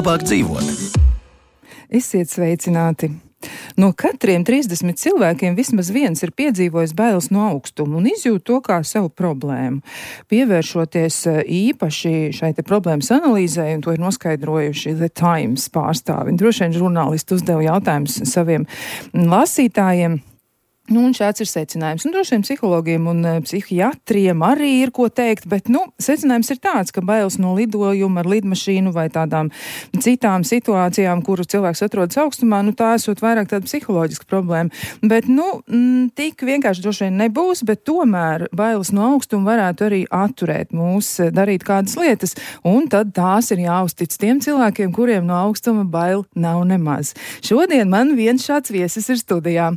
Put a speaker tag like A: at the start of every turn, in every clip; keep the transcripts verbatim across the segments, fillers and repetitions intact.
A: labāk dzīvot.
B: Esiet sveicināti! No katriem trīsdesmit cilvēkiem vismaz viens ir piedzīvojis bailes no augstuma un izjūt to kā savu problēmu. Pievēršoties īpaši šai te problēmas analīzē, un to ir noskaidrojuši The Times pārstāvi. Droši vien žurnālisti uzdeva jautājumus saviem lasītājiem. Nu, un šāds ir secinājums. Un droši vien psihologiem un psihiatriem arī ir ko teikt, bet, nu, secinājums ir tāds, ka bailes no lidojuma ar lidmašīnu vai tādām citām situācijām, kuru cilvēks atrodas augstumā, nu, tā esot vairāk tāda psiholoģiska problēma. Bet, nu, tik vienkārši droši vien nebūs, bet tomēr bailes no augstuma varētu arī atturēt mūs darīt kādas lietas, un tad tās ir jāuztic tiem cilvēkiem, kuriem no augstuma bail nav nemaz. Šodien man viens šāds viesis ir studijā.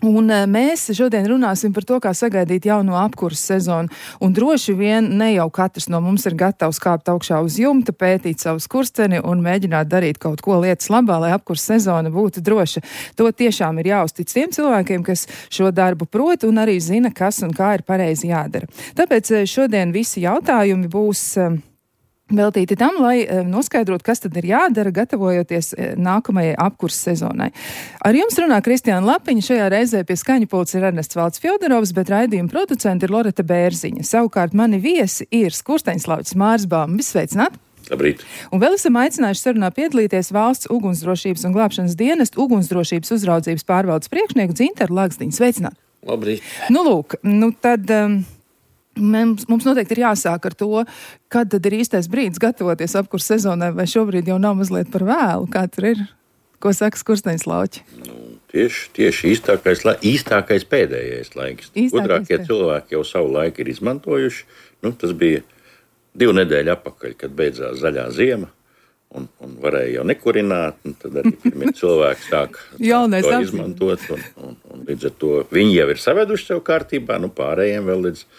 B: Un mēs šodien runāsim par to, kā sagaidīt jauno apkurses sezonu. Un droši vien ne jau katrs no mums ir gatavs kāpt augšā uz jumta, pētīt savu skursteni un mēģināt darīt kaut ko lietas labā, lai apkurses sezona būtu droša. To tiešām ir jāuztic tiem cilvēkiem, kas šo darbu prot un arī zina, kas un kā ir pareizi jādara. Tāpēc šodien visi jautājumi būs veltīti tam, lai noskaidrotu, kas tad ir jādara, gatavojoties nākamajai apkurses sezonai. Ar jums runā Kristiāna Lapiņa, šajā reizē pie skaņa pults ir Ernests Valds Fjodorovs, bet raidījuma producenti ir Loreta Bērziņa. Savukārt mani viesi ir Skursteņslauķis Māris Baumas. Sveicināt!
C: Labrīt.
B: Un vēl esam aicinājuši sarunā piedalīties Valsts ugunsdrošības un glābšanas dienesta ugunsdrošības uzraudzības pārvaldes priekšnieku Dzintaru Lagzdiņu. Sveicināt!
C: Labrīt.
B: Nu, lūk, nu tad... Um, Mums, mums noteikti ir jāsāk ar to, kad tad ir īstais brīdis gatavoties apkurses sezonai, vai šobrīd jau nav mazliet par vēlu, kā tur ir, ko saka Skursteņslauķi?
C: Nu, tieši, tieši īstākais, īstākais pēdējais laiks. Īstākais Gudrākie pēd... cilvēki jau savu laiku ir izmantojuši. Nu, tas bija divu nedēļu apakaļ, kad beidzās zaļā ziema, un, un varēja jau nekurināt, un tad arī pirmie cilvēki sāk to izmantot, un, un, un līdz ar to viņi jau ir saveduši sev kārtībā, nu pārējiem vēl līdz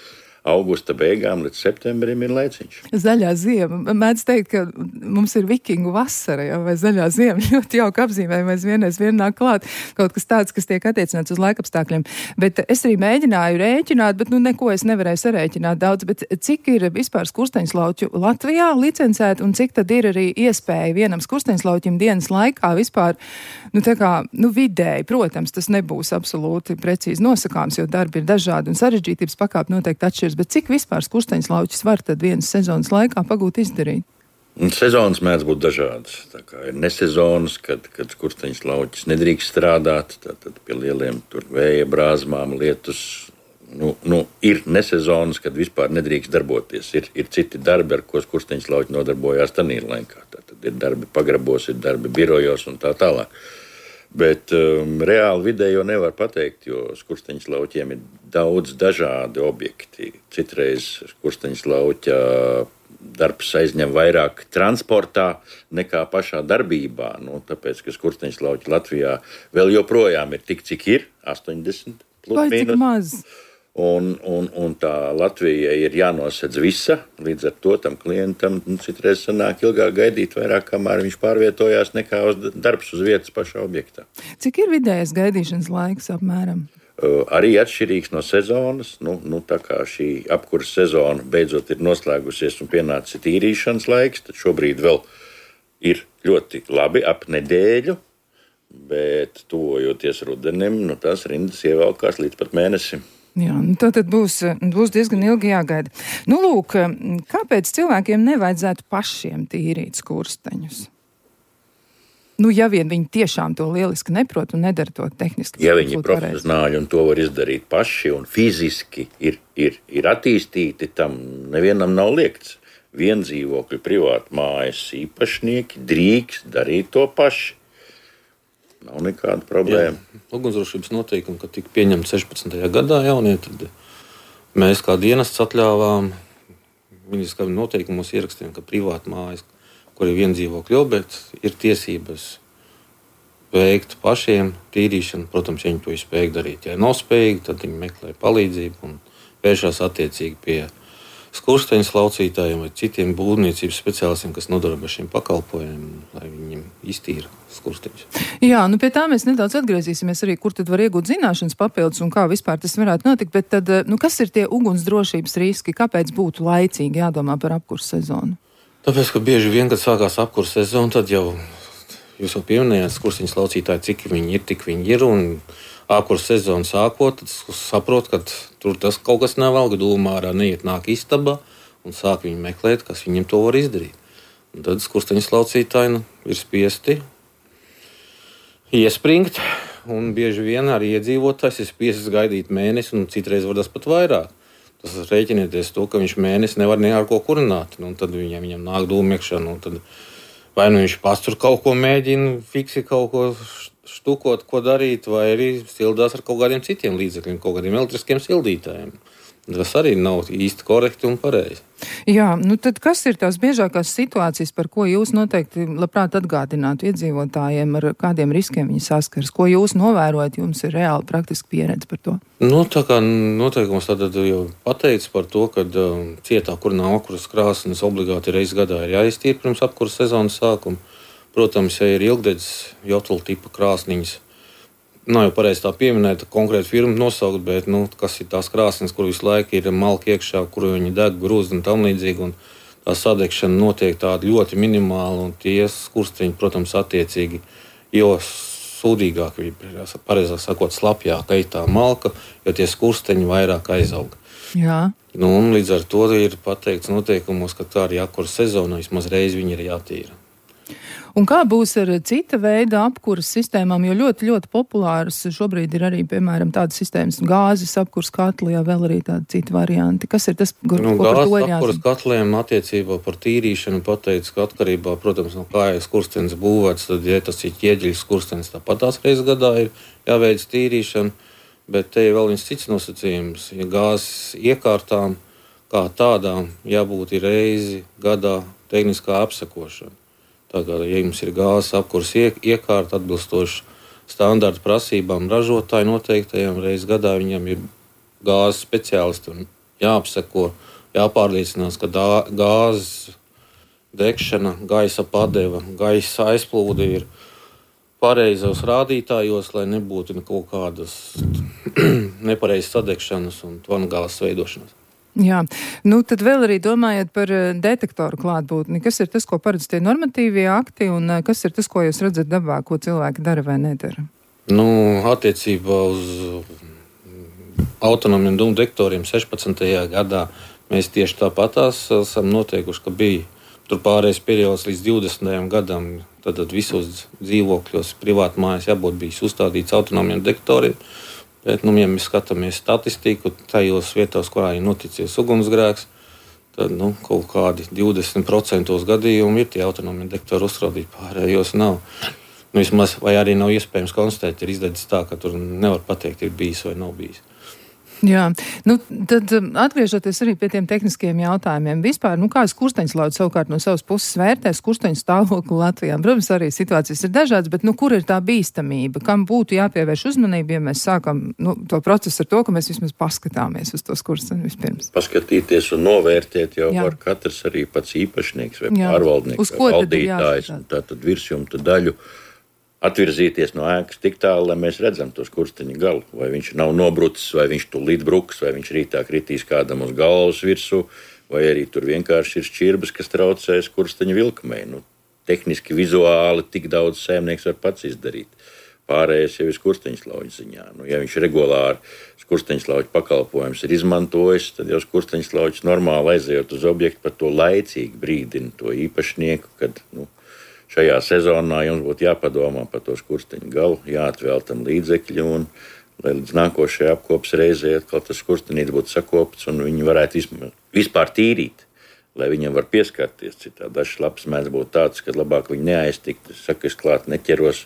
C: augusta beigām līdz septembrim ir laiciņš.
B: Zaļā ziema. Mēdz teikt, ka mums ir vikingu vasara, ja, vai zaļā ziema. Ļoti jauka apzīmējuma, mēs vienreiz vien nāk klāt kaut kas tāds, kas tiek attiecināts uz laikapstākļiem. Bet es arī mēģināju rēķināt, bet nu neko es nevarēju sarēķināt daudz. Bet cik ir vispār skursteņslauķu Latvijā licencēt un cik tad ir arī iespēja vienam skursteņslauķim dienas laikā vispār, nu tā kā, nu vidēji, protams, tas nebūs absolūti precīzi nosakāms, jo darbi ir dažādi un sarežģītības pakāpe noteikti atšķiras. Bet cik vispār skursteņslauķis var tad vienas sezonas laikā pagūt izdarīt?
C: Un sezonas mēdz būt dažādas. Tā kā ir nesezonas, kad, kad skursteņslauķis nedrīkst strādāt, tad pie lieliem tur vēja brāzmām, lietus. Nu, nu, ir nesezonas, kad vispār nedrīkst darboties. Ir, ir citi darbi, ar ko skursteņslauķi nodarbojās tanī laikā. Tad ir darbi pagrabos, ir darbi birojos un tā tālāk. Bet um, reāli vidējo nevar pateikt, jo skursteņslauķiem ir daudz dažādi objekti. Citreiz skursteņslauķa darbs aizņem vairāk transportā nekā pašā darbībā. Nu, tāpēc, ka skursteņslauķi Latvijā vēl joprojām ir tik, cik ir, astoņdesmit plus
B: mīnus. Vai cik maz?
C: Un, un, un tā Latvija ir jānosedz visa, līdz ar to tam klientam nu, citreiz sanāk ilgāk gaidīt vairāk, kamēr viņš pārvietojās nekā uz darbs uz vietas pašā objektā.
B: Cik ir vidējais gaidīšanas laiks apmēram?
C: Uh, arī atšķirīgs no sezonas. Nu, nu, tā kā šī apkurses sezona beidzot ir noslēgusies un pienācis tīrīšanas laiks, tad šobrīd vēl ir ļoti labi ap nedēļu, bet tuvojoties rudenim, nu, tās rindas ievelkās līdz pat mēnesim.
B: Jā, nu tad būs, būs diezgan ilgi jāgaida. Nu, lūk, kāpēc cilvēkiem nevajadzētu pašiem tīrīt skursteņus? Nu, ja vien viņi tiešām to lieliski neprot un nedara to tehniski.
C: Ja viņi ir profesionāļi un to var izdarīt paši un fiziski ir, ir, ir attīstīti, tam nevienam nav liekts. Viendzīvokļu privātu mājas īpašnieki drīkst darīt to paši. Nav nekāda problēma.
D: Ugunsdrošības noteikumi, kad tika pieņemti sešpadsmitajā gadā jaunie, tad mēs kā dienests atļāvām, viņas kā noteikumos ierakstījām, ka privāta mājas, kur ir viendzīvokļu objekts, ir tiesības veikt pašiem tīrīšanu. Protams, ja viņi to spēj darīt. Ja nav spējīgi, tad viņi meklē palīdzību un vēršās attiecīgi pie skursteņslaucītājiem vai citiem būvniecības speciālistiem, kas nodarbojas šiem pakalpojumiem, lai viņiem iztīra skursteņus.
B: Jā, nu pie tā mēs nedaudz atgriezīsimies arī, kur tad var iegūt zināšanas papildus un kā vispār tas varētu notikt, bet tad, nu kas ir tie ugunsdrošības riski, kāpēc būtu laicīgi jādomā par apkurses sezonu?
D: Tāpēc, ka bieži vien, kad sākās apkurs sezona, tad jau jūs jau pieminējāt, skursteņu slaucītāji, cik viņi ir, tik viņi ir. Un apkurs sezona sākot, tad saprot, ka tur tas kaut kas nevalga dūmā ārā, neiet nāk istabā un sāk viņi meklēt, kas viņiem to var izdarīt. Un tad skursteņu slaucītāji nu, ir spiesti iespringt, un bieži vien arī iedzīvotājs ir spiests gaidīt mēnesi, un citreiz var tas pat vairāk. Tas rēķinieties to, ka viņš mēnesi nevar ne ar ko kurināt, nu, un tad viņam, viņam nāk dūmiekšana, un tad vai nu viņš pats tur kaut ko mēģina, fiksi kaut ko štukot, ko darīt, vai arī sildās ar kaut kādiem citiem līdzekļiem, kaut kādiem elektriskiem sildītājiem. Tas arī nav īsti korekti un pareizi.
B: Jā, nu tad kas ir tās biežākās situācijas, par ko jūs noteikti labprāt atgādinātu iedzīvotājiem, ar kādiem riskiem viņi saskars? Ko jūs novērojat, jums ir reāli praktiski pieredze par to?
D: Nu, tā kā noteikums tad jau pateicis par to, ka uh, cietā, kur nav apkuras krāsnes, obligāti reiz gadā ir jāiztīra pirms apkuras sezonas sākuma. Protams, ja ir ilgdedzes jotla tipa krāsniņas, nav jau pareizi tā pieminēt, konkrēti firmu nosaukt, bet nu, kas ir tās krāsnes, kur visu laiku ir malki iekšā, kur viņi deg, grūst un tam līdzīgi. Un tā sadegšana notiek tāda ļoti minimāla, un tie skursteņi, protams, attiecīgi, jo sūdīgāk, pareizāk sakot, slapjāk eitā malka, jo tie skursteņi vairāk aizauga.
B: Jā.
D: Nu, un līdz ar to ir pateikts noteikumos, ka tā arī apkuras sezonā vismaz reizi viņi ir jātīra.
B: Un kā būs ar cita veida apkuras sistēmām, jo ļoti, ļoti populāras šobrīd ir arī, piemēram, tādas sistēmas gāzes apkuras katli, jā, vēl arī tādi citi varianti. Kas ir tas, ko,
D: nu,
B: ko par to
D: jāzina?
B: Gāzes
D: apkuras katliem attiecībā par tīrīšanu pateicis, ka atkarībā, protams, no kā ir skurstenis būvēts, tad, ja tas ir ķieģeļs skurstenis, tāpat tās reizes gadā ir jāveic tīrīšana, bet te ir vēl viens cits nosacījums. Ja gāzes iekārtām kā tādām jābūt ir reizi gadā tehniskā apsekošana. Tā kā, ja jums ir gāzes apkuras iekārta atbilstoši standarta prasībām ražotāju noteiktajām, reiz gadā viņam ir gāzes speciālisti un jāapseko, jāpārliecinās, ka dā, gāzes degšana, gaisa padeva, gaisa aizplūde ir pareizos rādītājos, lai nebūtu kaut kādas nepareizas sadegšanas un tvangāzes veidošanas.
B: Jā, nu tad vēl arī domājot par detektoru klātbūtni. Kas ir tas, ko paredz tie normatīvie akti, un kas ir tas, ko jūs redzat dabā, ko cilvēki dara vai nedara?
D: Nu, attiecībā uz autonomiem dūmdetektoriem sešpadsmitajā gadā mēs tieši tāpatās esam noteikuši, ka bija tur pārējais periods līdz divdesmitajam gadam, tad visos dzīvokļos privāti mājas jābūt bijis uzstādīts autonomiem detektoriem. Bet, nu, ja mēs skatāmies statistiku, tajos vietās, kurā ir noticies ugunsgrēks, tad nu, kaut kādi divdesmit procenti gadījumu ir tie autonomie detektori uzstādīti, pārējos nav. Nu, vismaz, vai arī nav iespējams konstatēt, ir izdedzis tā, ka tur nevar pateikt, ir bijis vai nav bijis.
B: Jā, nu tad atgriežoties arī pie tiem tehniskiem jautājumiem. Vispār, nu kā skursteņslauci savukārt no savas puses vērtē skursteņu stāvokli Latvijā? Protams, arī situācijas ir dažādas, bet nu kur ir tā bīstamība? Kam būtu jāpievērš uzmanība, ja mēs sākam nu, to procesu ar to, ka mēs vismaz paskatāmies uz to skursteņu vispirms?
C: Paskatīties un novērtēt jau
B: Jā.
C: var katrs arī pats īpašnieks vai
B: Jā.
C: pārvaldnieks vai valdītājs. Tātad virsjumta daļu atvirzīties no ēkas tik tālu, lai mēs redzam to skursteņa galu. Vai viņš nav nobrucis, vai viņš tūlīt bruks, vai viņš rītā kritīs kādam uz galvas virsū, vai arī tur vienkārši ir šķirbas, kas traucē skursteņa vilkumei. Nu, tehniski, vizuāli tik daudz saimnieks var pats izdarīt. Pārējais jau ir skursteņslauķa ziņā. Nu, ja viņš regulāri skursteņslauķa pakalpojums ir izmantojis, tad jau skursteņslauķis normāli aizejot uz objektu par to laicīgi brīdina to īpašnieku, kad, nu, šajā sezonā jums būtu jāpadomā par to skursteņu galu, jāatvēl tam līdzekļi, un lai līdz nākošajai apkopas reizei atkal tas skurstenīts būtu sakopts, un viņi varētu vispār tīrīt, lai viņam var pieskarties. Citā dažs labs mēdz būt tāds, ka labāk viņi neaiztikt. Es saku, es klāt neķeros,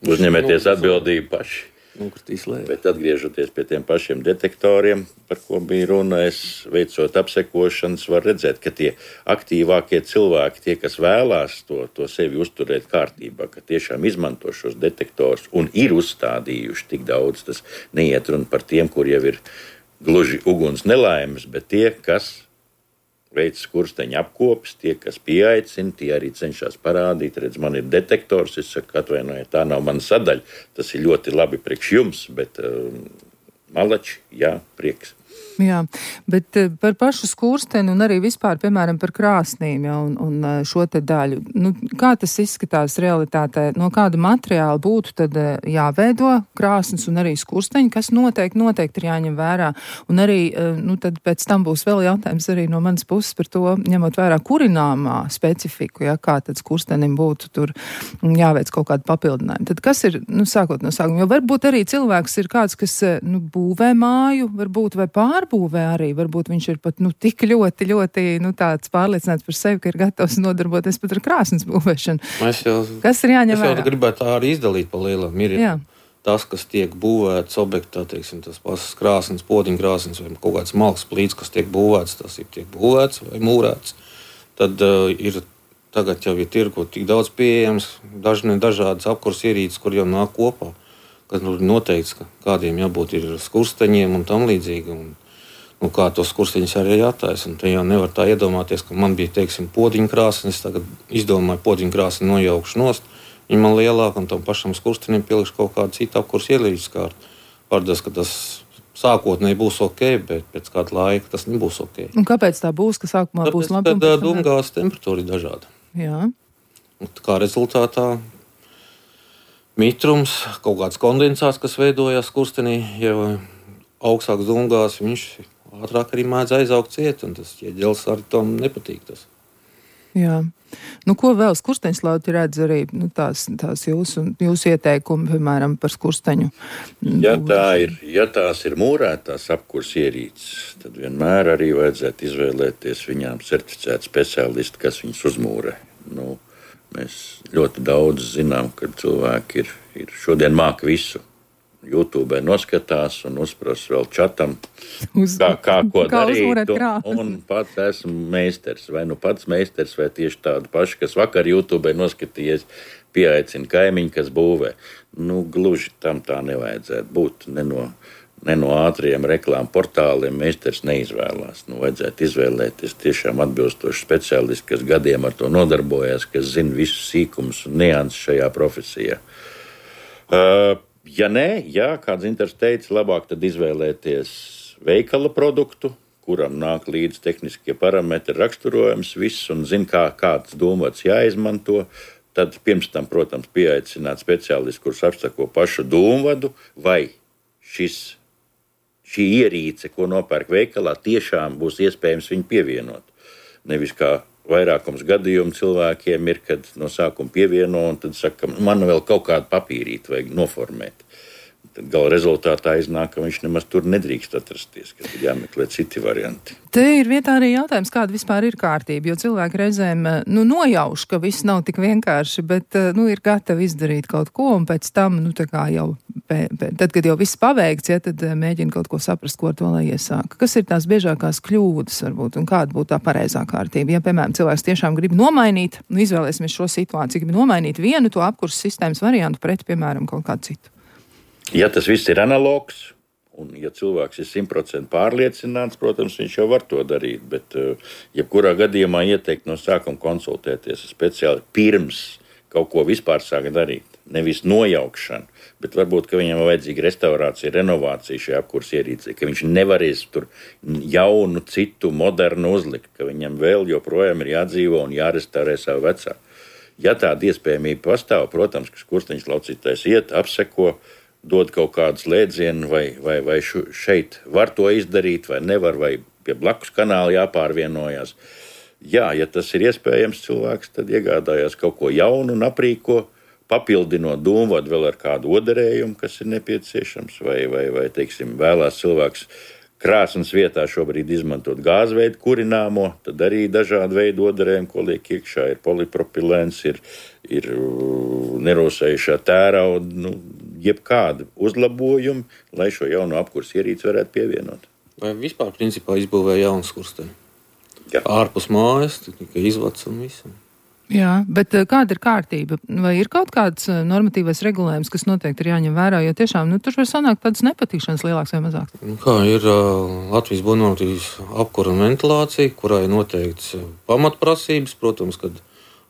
C: uzņemieties atbildību paši. Bet atgriežoties pie tiem pašiem detektoriem, par ko bija runa, es veicot apsekošanas, var redzēt, ka tie aktīvākie cilvēki, tie, kas vēlās to, to sevi uzturēt kārtībā, ka tiešām izmanto šos detektorus un ir uzstādījuši tik daudz, tas neiet runa par tiem, kur jau ir gluži uguns nelaimes, bet tie, kas veic skursteņa apkopes, tie, kas pieaicina, tie arī cenšas parādīt, redz, man ir detektors, es saku, atvainojiet, tā nav mana sadaļa, tas ir ļoti labi priekš jums, bet uh, malači, jā, prieks.
B: Jā, bet par pašu skursteni un arī vispār, piemēram, par krāsnīm, ja, un, un šo te daļu. Nu, kā tas izskatās realitātē? No kāda materiāla būtu tad jāveido krāsnes un arī skursteņi, kas noteikti, noteikti ir jāņem vērā. Un arī, nu, tad pēc tam būs vēl jautājums arī no manas puses par to, ņemot vērā kurināmā specifiku, ja, kā tad skurstenim būtu tur jāveic kaut kādu papildinājumu. Tad kas ir, nu, sākot no sākuma, jo varbūt arī cilvēks ir kāds, kas, nu, būvē māju, varbūt vai pār būvē arī, varbūt viņš ir pat nu, tik ļoti, ļoti nu, tāds pārliecināts par sevi, ka ir gatavs nodarboties pat ar krāsnes būvēšanu.
D: Jau,
B: kas ir jāņem vērā?
D: Es jau gribētu tā arī izdalīt pa lielām. Ir
B: Jā.
D: Tas, kas tiek būvēts objektā, teiksim, tas pasas krāsnes, podziņkrāsnes vai kaut kāds malks plīts, kas tiek būvēts, tas ir tiek būvēts vai mūrēts. Tad uh, ir tagad jau ir tirgu tik daudz pieejams, dažne dažādas apkurs ierīces, kur jau nāk kopā, kas nu, noteikts, ka kādiem jābūt ir skursteņiem un tam līdzīgi. Un, Nu, kā tos skursteņus arī jātaisa. Un te jau nevar tā iedomāties, ka man bija, teiksim, podziņkrāsne, es tagad izdomāju podziņkrāsni nojaukšu nost, viņa man lielāka un tam pašam skurstenim pielikšu kaut kādu citu apkurs ierīces kārtu. Pārdas, ka tas sākotnēji būs ok, bet pēc kāda laika tas nebūs ok.
B: Un kāpēc tā būs, ka sākumā
D: Tāpēc,
B: būs labi?
D: Tad dumgās temperatūra ir dažāda.
B: Jā.
D: Un kā rezultātā mitrums, kaut kāds kondensāts, kas veidojās skurstenī, jau augstāks dumgās, viņš ātrāk arī mēdz aizaugt ciet, un tas ķieģelis arī tam nepatīk tas.
B: Jā. Nu, ko vēl skursteņslauti redz arī nu, tās, tās jūsu, jūsu ieteikumi, piemēram, par skursteņu?
C: Ja, tā ir, ja tās ir mūrētās apkurs ierīces, tad vienmēr arī vajadzētu izvēlēties viņām certificētu speciālistu, kas viņus uzmūrē. Nu, mēs ļoti daudz zinām, ka cilvēki ir, ir šodien māk visu. YouTube noskatās un uzprasa vēl čatam,
B: Uz,
C: kā, kā ko
B: kā
C: darīt. Un, un pats esmu meistars. Vai nu pats meistars, vai tieši tādu pašu, kas vakar YouTube noskatījies, pieaicina kaimiņu, kas būvē. Nu, gluži tam tā nevajadzētu būt. Ne no, ne no ātriem reklāmu portāliem meistars neizvēlās. Nu, vajadzētu izvēlēties tiešām atbilstošu speciālistu, kas gadiem ar to nodarbojas, kas zina visus sīkumus un nianses šajā profesijā. Uh, Ja nē, ja kāds interesants teica, labāk tad izvēlēties veikala produktu, kuram nāk līdz tehniskie parametri, raksturojums, viss un zina, kā, kāds dūmvads jāizmanto, tad pirms tam, protams, pieaicināt speciālistu, kurš apsako pašu dūmvadu, vai šis, šī ierīce, ko nopērk veikalā, tiešām būs iespējams viņu pievienot. Nevis kā vairākums gadījumu cilvēkiem ir, kad no sākuma pievieno un tad saka, man vēl kaut kādu papīrīti vajag noformēt. Tad gala rezultātā iznāk, ka viņš nemaz tur nedrīkst atrasties, kad ir jāmeklē citi varianti.
B: Te ir vietā arī jautājums, kāda vispār ir kārtība, jo cilvēki reizēm nu, nojauš, ka viss nav tik vienkārši, bet nu, ir gatavi izdarīt kaut ko un pēc tam, nu, tā kā jau, pē, pē, tad, kad jau viss paveikts, ja, tad mēģina kaut ko saprast, ko ar to lai iesāk. Kas ir tās biežākās kļūdas varbūt un kāda būtu tā pareizā kārtība? Ja, piemēram, cilvēks tiešām grib nomainīt, nu, izvēlēsimies šo situāciju, grib nomainīt vienu to apkurses sistēmas variantu pret, piemēram, kaut kādu citu.
C: Ja tas viss ir analogs, un ja cilvēks ir simt procenti pārliecināts, protams, viņš jau var to darīt, bet jebkurā gadījumā ieteikt no sākuma konsultēties speciāli pirms kaut ko vispār sāk darīt. Nevis nojaukšanu, bet varbūt, ka viņam vajadzīga restaurācija, renovācija šajā apkurs ierīcē, ka viņš nevarēs tur jaunu, citu, modernu uzlikt, ka viņam vēl joprojām ir jādzīvo un jārestaurē savu vecā. Ja tāda iespējamība pastāv, protams, ka skursteņas laucītājs iet, apseko, dod kaut kādu slēdzienu, vai, vai, vai šeit var to izdarīt, vai nevar, vai pie blakus kanāla jāpārvienojas. Jā, ja tas ir iespējams cilvēks, tad iegādājās kaut ko jaunu un aprīko, papildinot dūmvadu vēl ar kādu oderējumu, kas ir nepieciešams, vai, vai, vai teiksim, vēlās cilvēks krāsnes vietā šobrīd izmantot gāzveidu kurināmo, tad arī dažādi veidi oderējumi, ko liek iekšā, ir polipropilēns, ir, ir nerosējušā tērauda, nu, jebkādi uzlabojumi, lai šo jauno apkurs ierīci varētu pievienot.
D: Vai vispār principā izbūvēja jaunu skursteni? Jā. Ārpus mājas, tikai izvads un visam.
B: Jā, bet kāda ir kārtība? Vai ir kaut kāds normatīvais regulējums, kas noteikti ir jāņem vērā, jo tiešām, nu, tur var sanākt tādas nepatīkšanas lielāks vai mazāks?
D: Nu, kā ir uh, Latvijas būvniecības apkura un ventilācija, kurā ir noteikts pamatprasības, protams, kad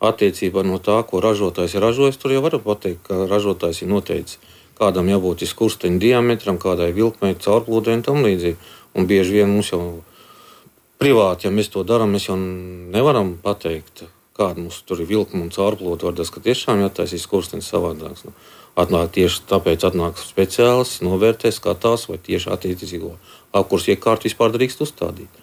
D: attiecībā no tā, ko ražotājs ir ražojis, tur jau var pateikt, ka ražotājs ir noteicis, kādam jābūt skursteņa diametram, kādai vilkmei, caurplūdei un tam līdzīgi. Un bieži vien mums jau privāti, ja mēs to darām, mēs jau nevaram pateikt, kāda mums tur ir vilkuma un caurplūda. Varbūt, ka tiešām jātaisīs skurstenis savādāks. Nu, atnāk tieši tāpēc atnāk speciālists, novērtē, skatās, vai tieši attiecīgo apkursu iekārtu vispār drīkst uzstādīt.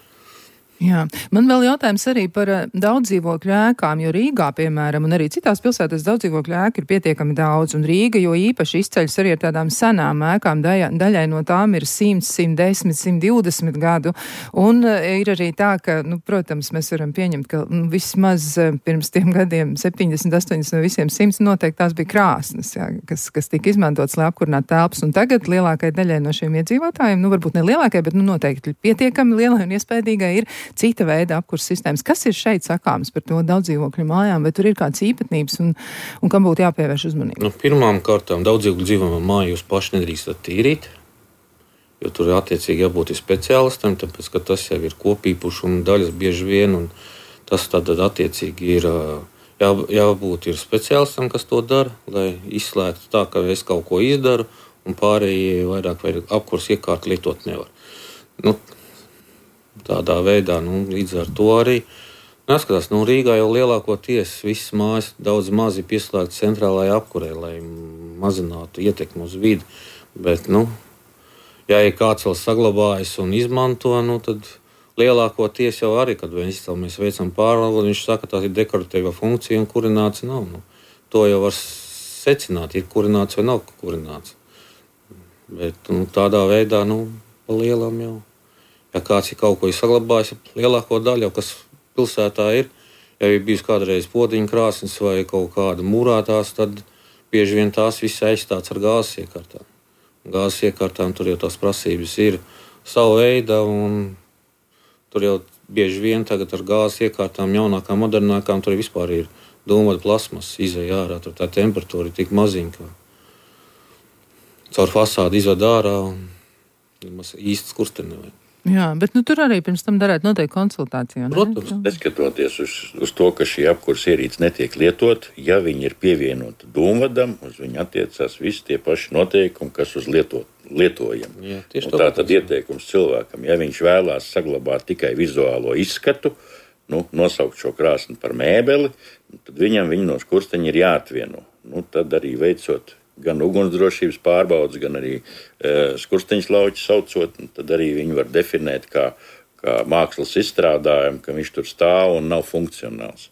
B: Jā. Man vēl jautājums arī par daudzdzīvokļu ēkām, jo Rīgā, piemēram, un arī citās pilsētās daudzdzīvokļu ēku ir pietiekami daudz, un Rīga jo īpaši izceļas arī ar tādām senām ēkām, daļai, daļai no tām ir simt, simt desmit, simt divdesmit gadu, un ir arī tā, ka, nu, protams, mēs varam pieņemt, ka nu, vismaz pirms tiem gadiem septiņdesmit, astoņdesmit no visiem simts noteikti tās bija krāsnes, jā, kas, kas tika izmantotas, lai apkurinātu telpas, un tagad lielākai daļai no šiem iedzīvotājiem, nu, varbūt ne lielākai, bet, nu, noteikti pietiekami lielai un iespējīgai ir cita veida apkurss sistēmas. Kas ir šeit sakāms par to daudzdzīvokļu mājām, vai tur ir kādas īpatnības un, un kam būtu jāpievērš uzmanība?
D: Nu, pirmām kārtām daudzdzīvokļu dzīvojamā māju jūs paši nedrīkstat tīrīt, jo tur ir attiecīgi jābūt speciālistam, tāpēc, ka tas jau ir kopīpašuma daļas bieži vien, un tas tad attiecīgi ir jā, jābūt ir speciālistam, kas to dara, lai izslēgtu tā, ka es kaut ko izdaru, un pārējie vairāk vai apkurss iekārtu lietot nevar. Nu, tādā veidā, nu, līdz ar to arī neskatās, nu, Rīgā jau lielākoties visas mājas daudz mazi pieslēgts centrālajai apkurei, lai mazinātu ietekmi uz vidi, bet, nu, ja ir kāds vēl saglabājas un izmanto, nu, tad lielākoties jau arī, kad mēs, mēs veicam pārvaldu, viņš saka, tās ir dekoratīva funkcija un kurināts nav, nu, to jau var secināt, ir kurināts vai nav kurināts, bet, nu, tādā veidā, nu, pa lielam jau. Ja kāds ir kaut ko saglabājis, lielāko daļu, kas pilsētā ir, ja ir bijusi kādreiz podziņa krāsnes vai kaut kāda mūrātās, tad bieži vien tās viss aizstāts ar gāzes iekārtām. Gāzes iekārtām tur jau tās prasības ir sava veida, un tur jau bieži vien tagad ar gāzes iekārtām jaunākām, modernākām, tur vispār ir dūmata plasmas izēja ārā, tur tā temperatūra ir tik maziņa, ka caur fasādi izved ārā un īsti skursteni nevajag.
B: Jā, bet nu, tur arī pirms tam darētu noteikti konsultāciju.
C: Protams, neskatoties uz, uz to, ka šī apkurss ierīce netiek lietot, ja viņi ir pievienoti dūmvadam, uz viņu attiecās visi tie paši noteikumi, kas uz lieto, lietojam. Jā, tā tad ieteikums cilvēkam, ja viņš vēlās saglabāt tikai vizuālo izskatu, nu, nosaukt šo krāsni par mēbeli, tad viņam viņa no skursteņa ir jāatvieno. Nu, tad arī veicot gan ugunsdrošības pārbaudas, gan arī e, skursteņas lauķi saucot, tad arī viņi var definēt kā, kā mākslas izstrādājumu, ka viņš tur stāv un nav funkcionāls.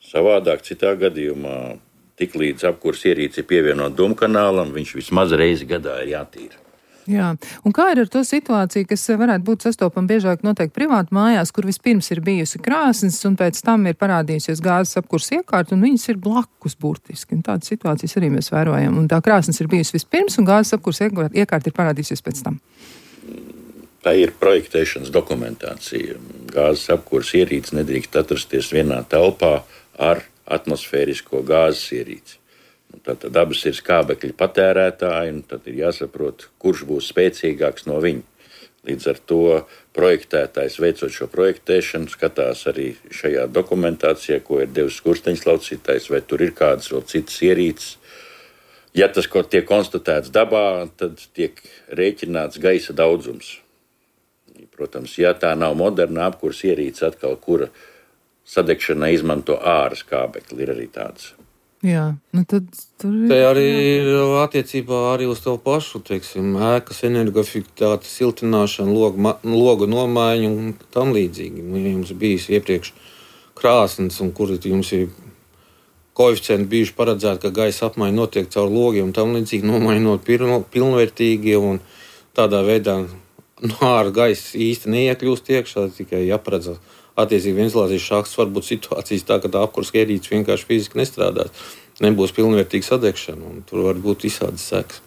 C: Savādāk citā gadījumā, tik līdz apkurss ierīce ir pievienot dūmkanālam, viņš vismaz reizi gadā ir jātīra.
B: Jā, un kā ir ar to situāciju, kas varētu būt sastopama biežāk noteikti privāti mājās, kur vispirms ir bijusi krāsnes un pēc tam ir parādījusies gāzes apkurss iekārta un viņas ir blakus burtiski. Un tādas situācijas arī mēs vērojam. Un tā krāsnes ir bijusi vispirms un gāzes apkurss iekārta ir parādījusies pēc tam.
C: Tā ir projektēšanas dokumentācija. Gāzes apkurss ierīce nedrīkst atrasties vienā telpā ar atmosfērisko gāzes ierīci. Tātad abas ir skābekļa patērētāji, un tad ir jāsaprot, kurš būs spēcīgāks no viņu. Līdz ar to projektētājs, veicot šo projektēšanu, skatās arī šajā dokumentācijā, ko ir devis skursteņas laucītājs, vai tur ir kādas vēl citas ierīces. Ja tas, ko tiek konstatēts dabā, tad tiek rēķināts gaisa daudzums. Protams, ja tā nav moderna apkurss ierīce atkal, kura sadegšanai izmanto āra skābekli, ir arī tāds.
B: Jā, nu tad tur ir...
D: Te arī ir attiecībā arī uz to pašu, teiksim, ēkas energoefektivitāte, siltināšana, logu, logu nomaiņa un tam līdzīgi. Ja jums bijis iepriekš krāsnes, un kur jums ir koeficienti bijuši paredzēti, ka gaisa apmaiņa notiek caur logiem un tam līdzīgi, nomainot pilnvērtīgi, un tādā veidā no ārā gaisa īsti neiekļūst iekšā, tikai jāparedzās. Attiecīgi ventilācijas šāks var būt situācijas tā, ka tā apkurss ierīce vienkārši fiziski nestrādās. Nebūs pilnvērtīga sadegšana, un tur var būt visādas sekas.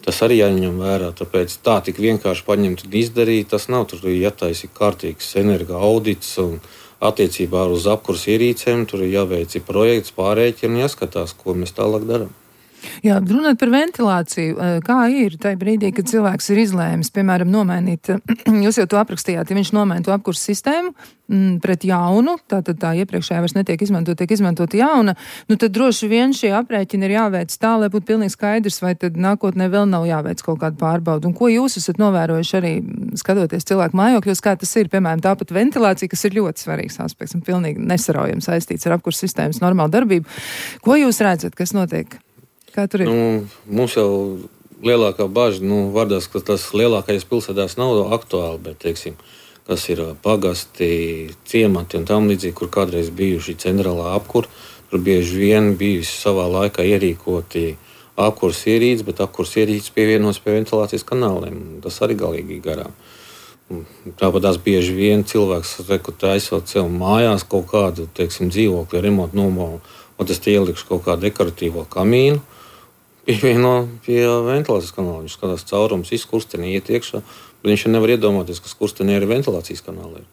D: Tas arī jāņem vērā, tāpēc tā tik vienkārši paņemt un izdarīt, tas nav. Tur ir jātaisa kārtīgs energo audits, un attiecībā uz apkurss ierīcēm tur ir jāveic projekts, pārēķina un jāskatās, ko mēs tālāk darām.
B: Jā, runāt par ventilāciju, kā ir tajā brīdī, kad cilvēks ir izlēmis, piemēram, nomainīt, jūs jau to aprakstījāt, ja viņš nomaina to apkursu sistēmu m, pret jaunu, tātad tā iepriekšējā vairs netiek izmantot, tiek izmantot jauna, nu tad droši vien šie aprēķini ir jāveic tā, lai būtu pilnīgi skaidrs, vai tad nākotnē vēl nav jāveic kaut kādu pārbaudu. Un ko jūs esat novērojuši arī skatoties cilvēku mājokļos, kā tas ir, piemēram, tāpat ventilācija, kas ir ļoti svarīgs aspekts un pilnīgi nesaraujami saistīts ar apkursu sistēmas normālu darbību. Ko jūs redzat, kas notiek? Kā tur ir?
D: Nu, mums jau lielākā bažas, nu, vardās, ka tas lielākajās pilsētās nav aktuāli, bet, teiksim, kas ir pagasti, ciemati un tam līdzīgi, kur kādreiz bijuši centrālā apkur, tur bieži vien bijusi savā laikā ierīkoti apkurs ierīces, bet apkurs ierīces pievienots pie ventilācijas kanāliem. Tas arī galīgi garām. Tāpat tās bieži vien cilvēks taisot sev mājās kaut kādu, teiksim, dzīvokļu remontu nomalu, un tas tie ielikšu kaut kādu dekoratīvo kamīnu, pievieno pie ventilācijas kanāla. Viņš skatās caurums, izkurstenī iet iekšā, bet viņš nevar iedomāties, ka skurstenī arī ventilācijas kanāla ir.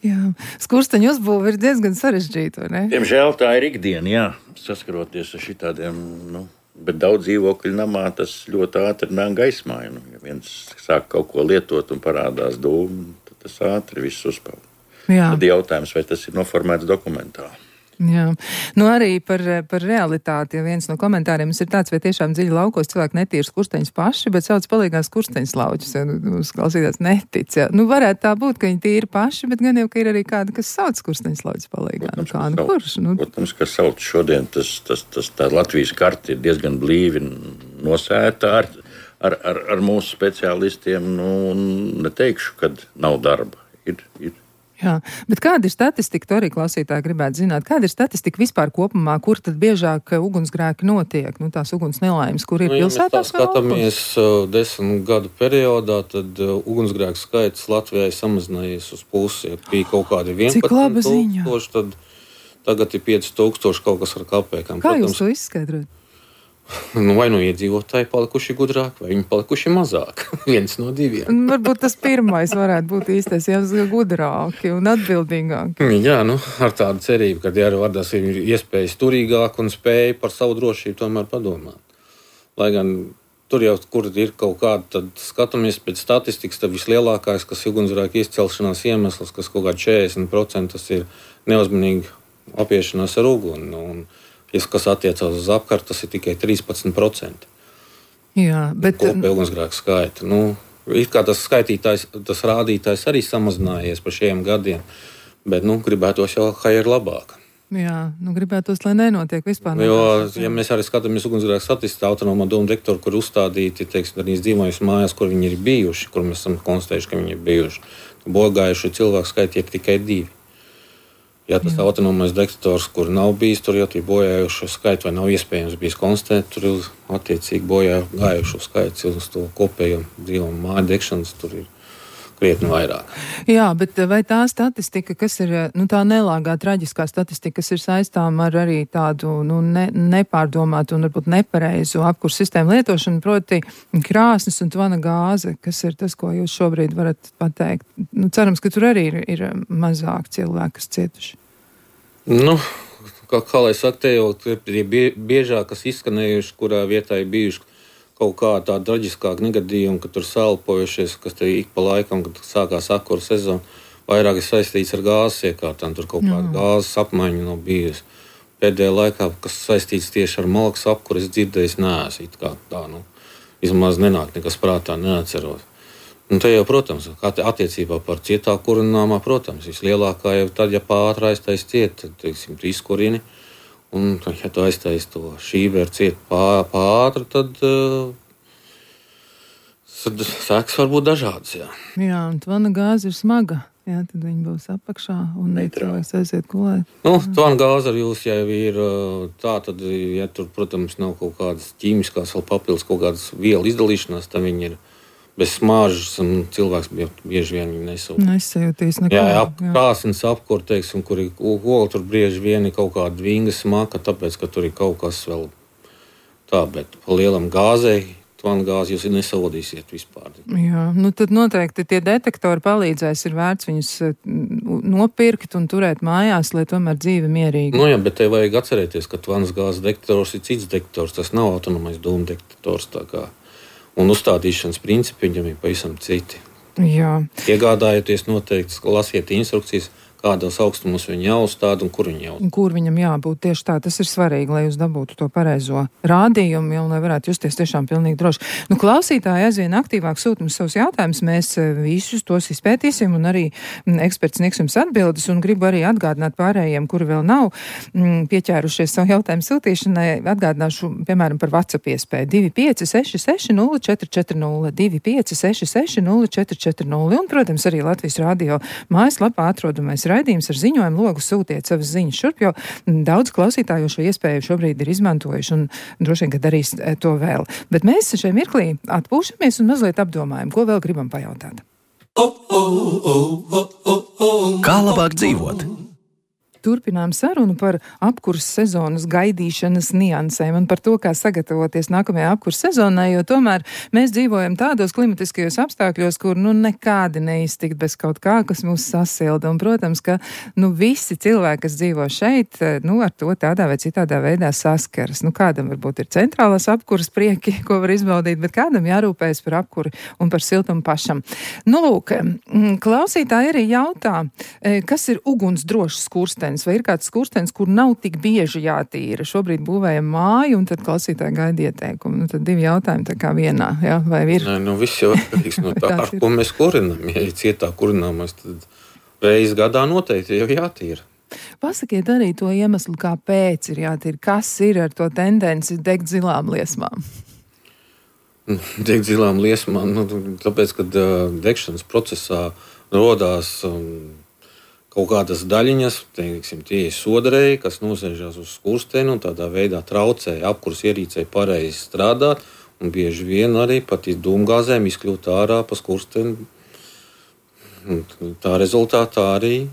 B: Jā, skursteņu uzbūve ir diezgan sarežģīta, vai ne?
C: Diemžēl tā ir ikdiena, jā, saskaroties ar šitādiem, nu, bet daudz dzīvokļu namā tas ļoti ātri nāk gaismā. Nu, ja viens sāk kaut ko lietot un parādās dūmi, tad tas ātri viss uzpeld.
B: Jā.
C: Tad jautājums, vai tas ir noformēts dokumentā.
B: Jā, nu arī par, par realitāti, ja viens no komentāriem ir tāds, vai tiešām dziļi laukos cilvēki netīra skursteņus paši, bet sauc palīgās skursteņus lauķus, ja nu, klausītās netic. Ja. Nu varētu tā būt, ka viņi tīri paši, bet gan jau, ka ir arī kāda, kas sauc skursteņus lauķus palīgā.
C: Protams,
B: nu, kā, nu, kurš? Nu?
C: Protams, ka sauc šodien, tas, tas, tas tā Latvijas karta ir diezgan blīvi nosēta ar, ar, ar, ar mūsu speciālistiem, nu, neteikšu, kad nav darba. Ir, ir.
B: Jā, bet kāda ir statistika, to arī klausītāji gribētu zināt, kāda ir statistika vispār kopumā, kur tad biežāk ugunsgrēki notiek, nu tās uguns nelaimes, kur ir
D: nu,
B: pilsētās?
D: Ja mēs skatāmies uh, desmit gadu periodā, tad uh, ugunsgrēku skaits Latvijai samazinājies uz pusi, ja bija kaut kādi vienpadsmit tūkstoši, tad tagad ir pieci tūkstoši kaut kas ar kapēkām.
B: Kā Protams, jūs to izskaidrot?
D: Nu, vai nu iedzīvotāji palikuši gudrāk, vai viņi palikuši mazāk. Viens no diviem.
B: Varbūt tas pirmais varētu būt īstais, ja gudrāki un atbildīgāki.
D: Jā, nu, ar tādu cerību, ka jā, vardās ir iespējas turīgāk un spēja par savu drošību tomēr padomāt. Lai gan tur jau, kur ir kaut kāda, tad skatāmies pēc statistikas, tad vislielākais, kas ugunsgrēku izcelšanās iemesls, kas kaut kā četrdesmit procenti tas ir neuzmanīgi apiešanās ar uguni. Un, ja kas attiecās uz apkārt, tas ir tikai trīspadsmit procenti.
B: Jā, bet...
D: Kopēja ugunsgrēku skaita. Nu, it kā tas skaitītājs, tas rādītājs arī samazinājies par šiem gadiem, bet, nu, gribētos jau, kā ir labāk.
B: Jā, nu, gribētos, lai nenotiek vispār.
D: Jo, ja mēs arī skatāmies ugunsgrēku statistiku, autonomā doma detektori, kur uzstādīti, teiksim, arī dzīvojas mājās, kur viņi ir bijuši, kur mēs esam konstatējuši, ka viņi ir bijuši. Bojāgājuši cilvēku skaiti ir tikai divi. Ja tas jā. Autonomais detektors, kur nav bijis, tur jau ir bojājušo skaitu, vai nav iespējams bijis konstatēt, tur ir attiecīgi bojājušo skaitu uz to kopējo dzīvo māju degšanas, tur ir krietni vairāk.
B: Jā, bet vai tā statistika, kas ir, nu tā nelāgā, traģiskā statistika, kas ir saistām ar arī tādu, nu, ne, nepārdomātu un varbūt nepareizu apkursu sistēmu lietošanu, proti krāsnes un tvana gāze, kas ir tas, ko jūs šobrīd varat pateikt? Nu, cerams, ka tur arī ir, ir mazāk cilvēki, kas cietuši.
D: Nu, kā, kā lai saka, te jau ir biežāk, kas izskanējuši, kurā vietā ir bijuši kaut kā tāda traģiskāka negadījuma, ka tur salpojušies, kas te ik pa laikam, kad sākās apkura sezona, vairāk ir saistīts ar gāzes iekārtām, tur kaut kāda gāzes apmaiņa nav bijusi. Pēdējā laikā, kas saistīts tieši ar malkas apkuru, es dzirdējis neesmu, it kā tā, nu, vismaz nenāk nekas prātā, neatceros. Un te jau, protams, attiecībā par cietā kurināmā, protams, vislielākā jau tad, ja pātra aiztais ciet, tad, teiksim, tu izkurini, un, ja tu aiztais to šīberu ciet pātra, tad, tad sēkas var būt dažādas, jā.
B: Jā, un tvana gāze ir smaga, jā, tad viņi būs apakšā, un cilvēks aiziet gulēt.
D: Nu, tvana gāze ar jūs jau ir tā, tad, ja tur, protams, nav kaut kādas ķīmiskās vēl papildus kaut kādas vielu izdalīšanās, tad viņi ir bez smāžas, un cilvēks bieži vien viņu nesūt.
B: Nesajūtīs neko.
D: Jā, ap, krāsnes apkur, teiksim, kur ir ola, tur bieži vien ir kaut kāda vinga smaka, tāpēc, ka tur ir kaut kas vēl tā, bet pa lielam gāzei tvanu gāzi jūs nesodīsiet vispār.
B: Jā, nu tad noteikti tie detektori palīdzēs, ir vērts viņus nopirkt un turēt mājās, lai tomēr dzīve mierīgi.
D: Nu jā, bet te vajag atcerēties, ka tvanas gāzes detektors ir cits detektors, tas nav autonomais dūmu detektors tā kā. Un uzstādīšanas principi viņam ir pavisam citi.
B: Jā.
D: Iegādājoties noteikti, lasiet instrukcijas, kādos augstumos viņi jāuzstāda un kur viņi jāuzstāda.
B: Kur viņam jābūt tieši tā, tas ir svarīgi, lai jūs dabūtu to pareizo rādījumu, un lai varētu justies tiešām pilnīgi droši. Nu, klausītāji aizvien aktīvāk sūta mums savus jautājumus, mēs visus tos izpētīsim, un arī eksperts sniegs jums atbildes, un gribu arī atgādināt pārējiem, kuri vēl nav m, pieķērušies savu jautājumu sūtīšanai, atgādināšu, piemēram, par WhatsApp iespēju divi pieci seši seši nulle četri četri nulle, divi pieci seši seši nulle četri četri nulle, un, protams, arī Latvijas radio mājaslapā atrodamais raidījums ar ziņojumu logu sūtiet savas ziņas šurp, jo daudz klausītāju šo iespēju šobrīd ir izmantojuši un droši vien, ka darīs to vēl. Bet mēs šajā mirklī atpūšamies un mazliet apdomājam, ko vēl gribam pajautāt.
A: Kā labāk dzīvot?
B: Turpinām sarunu par apkurses sezonas gaidīšanas niansēm un par to, kā sagatavoties nākamajai apkurses sezonai, jo tomēr mēs dzīvojam tādos klimatiskajos apstākļos, kur nu nekādi neiztikt bez kaut kā, kas mūs sasilda. Un, protams, ka nu visi cilvēki, kas dzīvo šeit, nu ar to tādā vai citādā veidā saskaras. Nu kādam varbūt ir centrālās apkuras prieki, ko var izbaudīt, bet kādam jārūpējas par apkuri un par siltumu pašam. Nu lūk, klausītāji arī jautā, kas ir ugunsdrošs skurstenis? Vai ir kāds skurstenis, kur nav tik bieži jātīra? Šobrīd būvējam māju, un tad klausītāji gaida ieteikumu. Nu, tad divi jautājumi tā kā vienā, jā? Vai ir?
D: Nē, nu viss jau atkarīgs no tā, ar ko mēs kurinām. Ja ir cietā kurināmais, tad reiz gadā noteikti jau jātīra.
B: Pasakiet arī to iemeslu, kāpēc ir jātīra. Kas ir ar to tendenci degt zilām liesmām?
D: Degt zilām liesmām, nu, tāpēc, kad uh, degšanas procesā rodās um, kaut kādas daļiņas, teiksim, tie ir sodarēji, kas nosēžās uz skursteni un tādā veidā traucēja apkuras ierīcei pareizi strādāt, un bieži vien arī pat dūmgāzēm izkļūt ārā pa skursteni. Tā rezultātā arī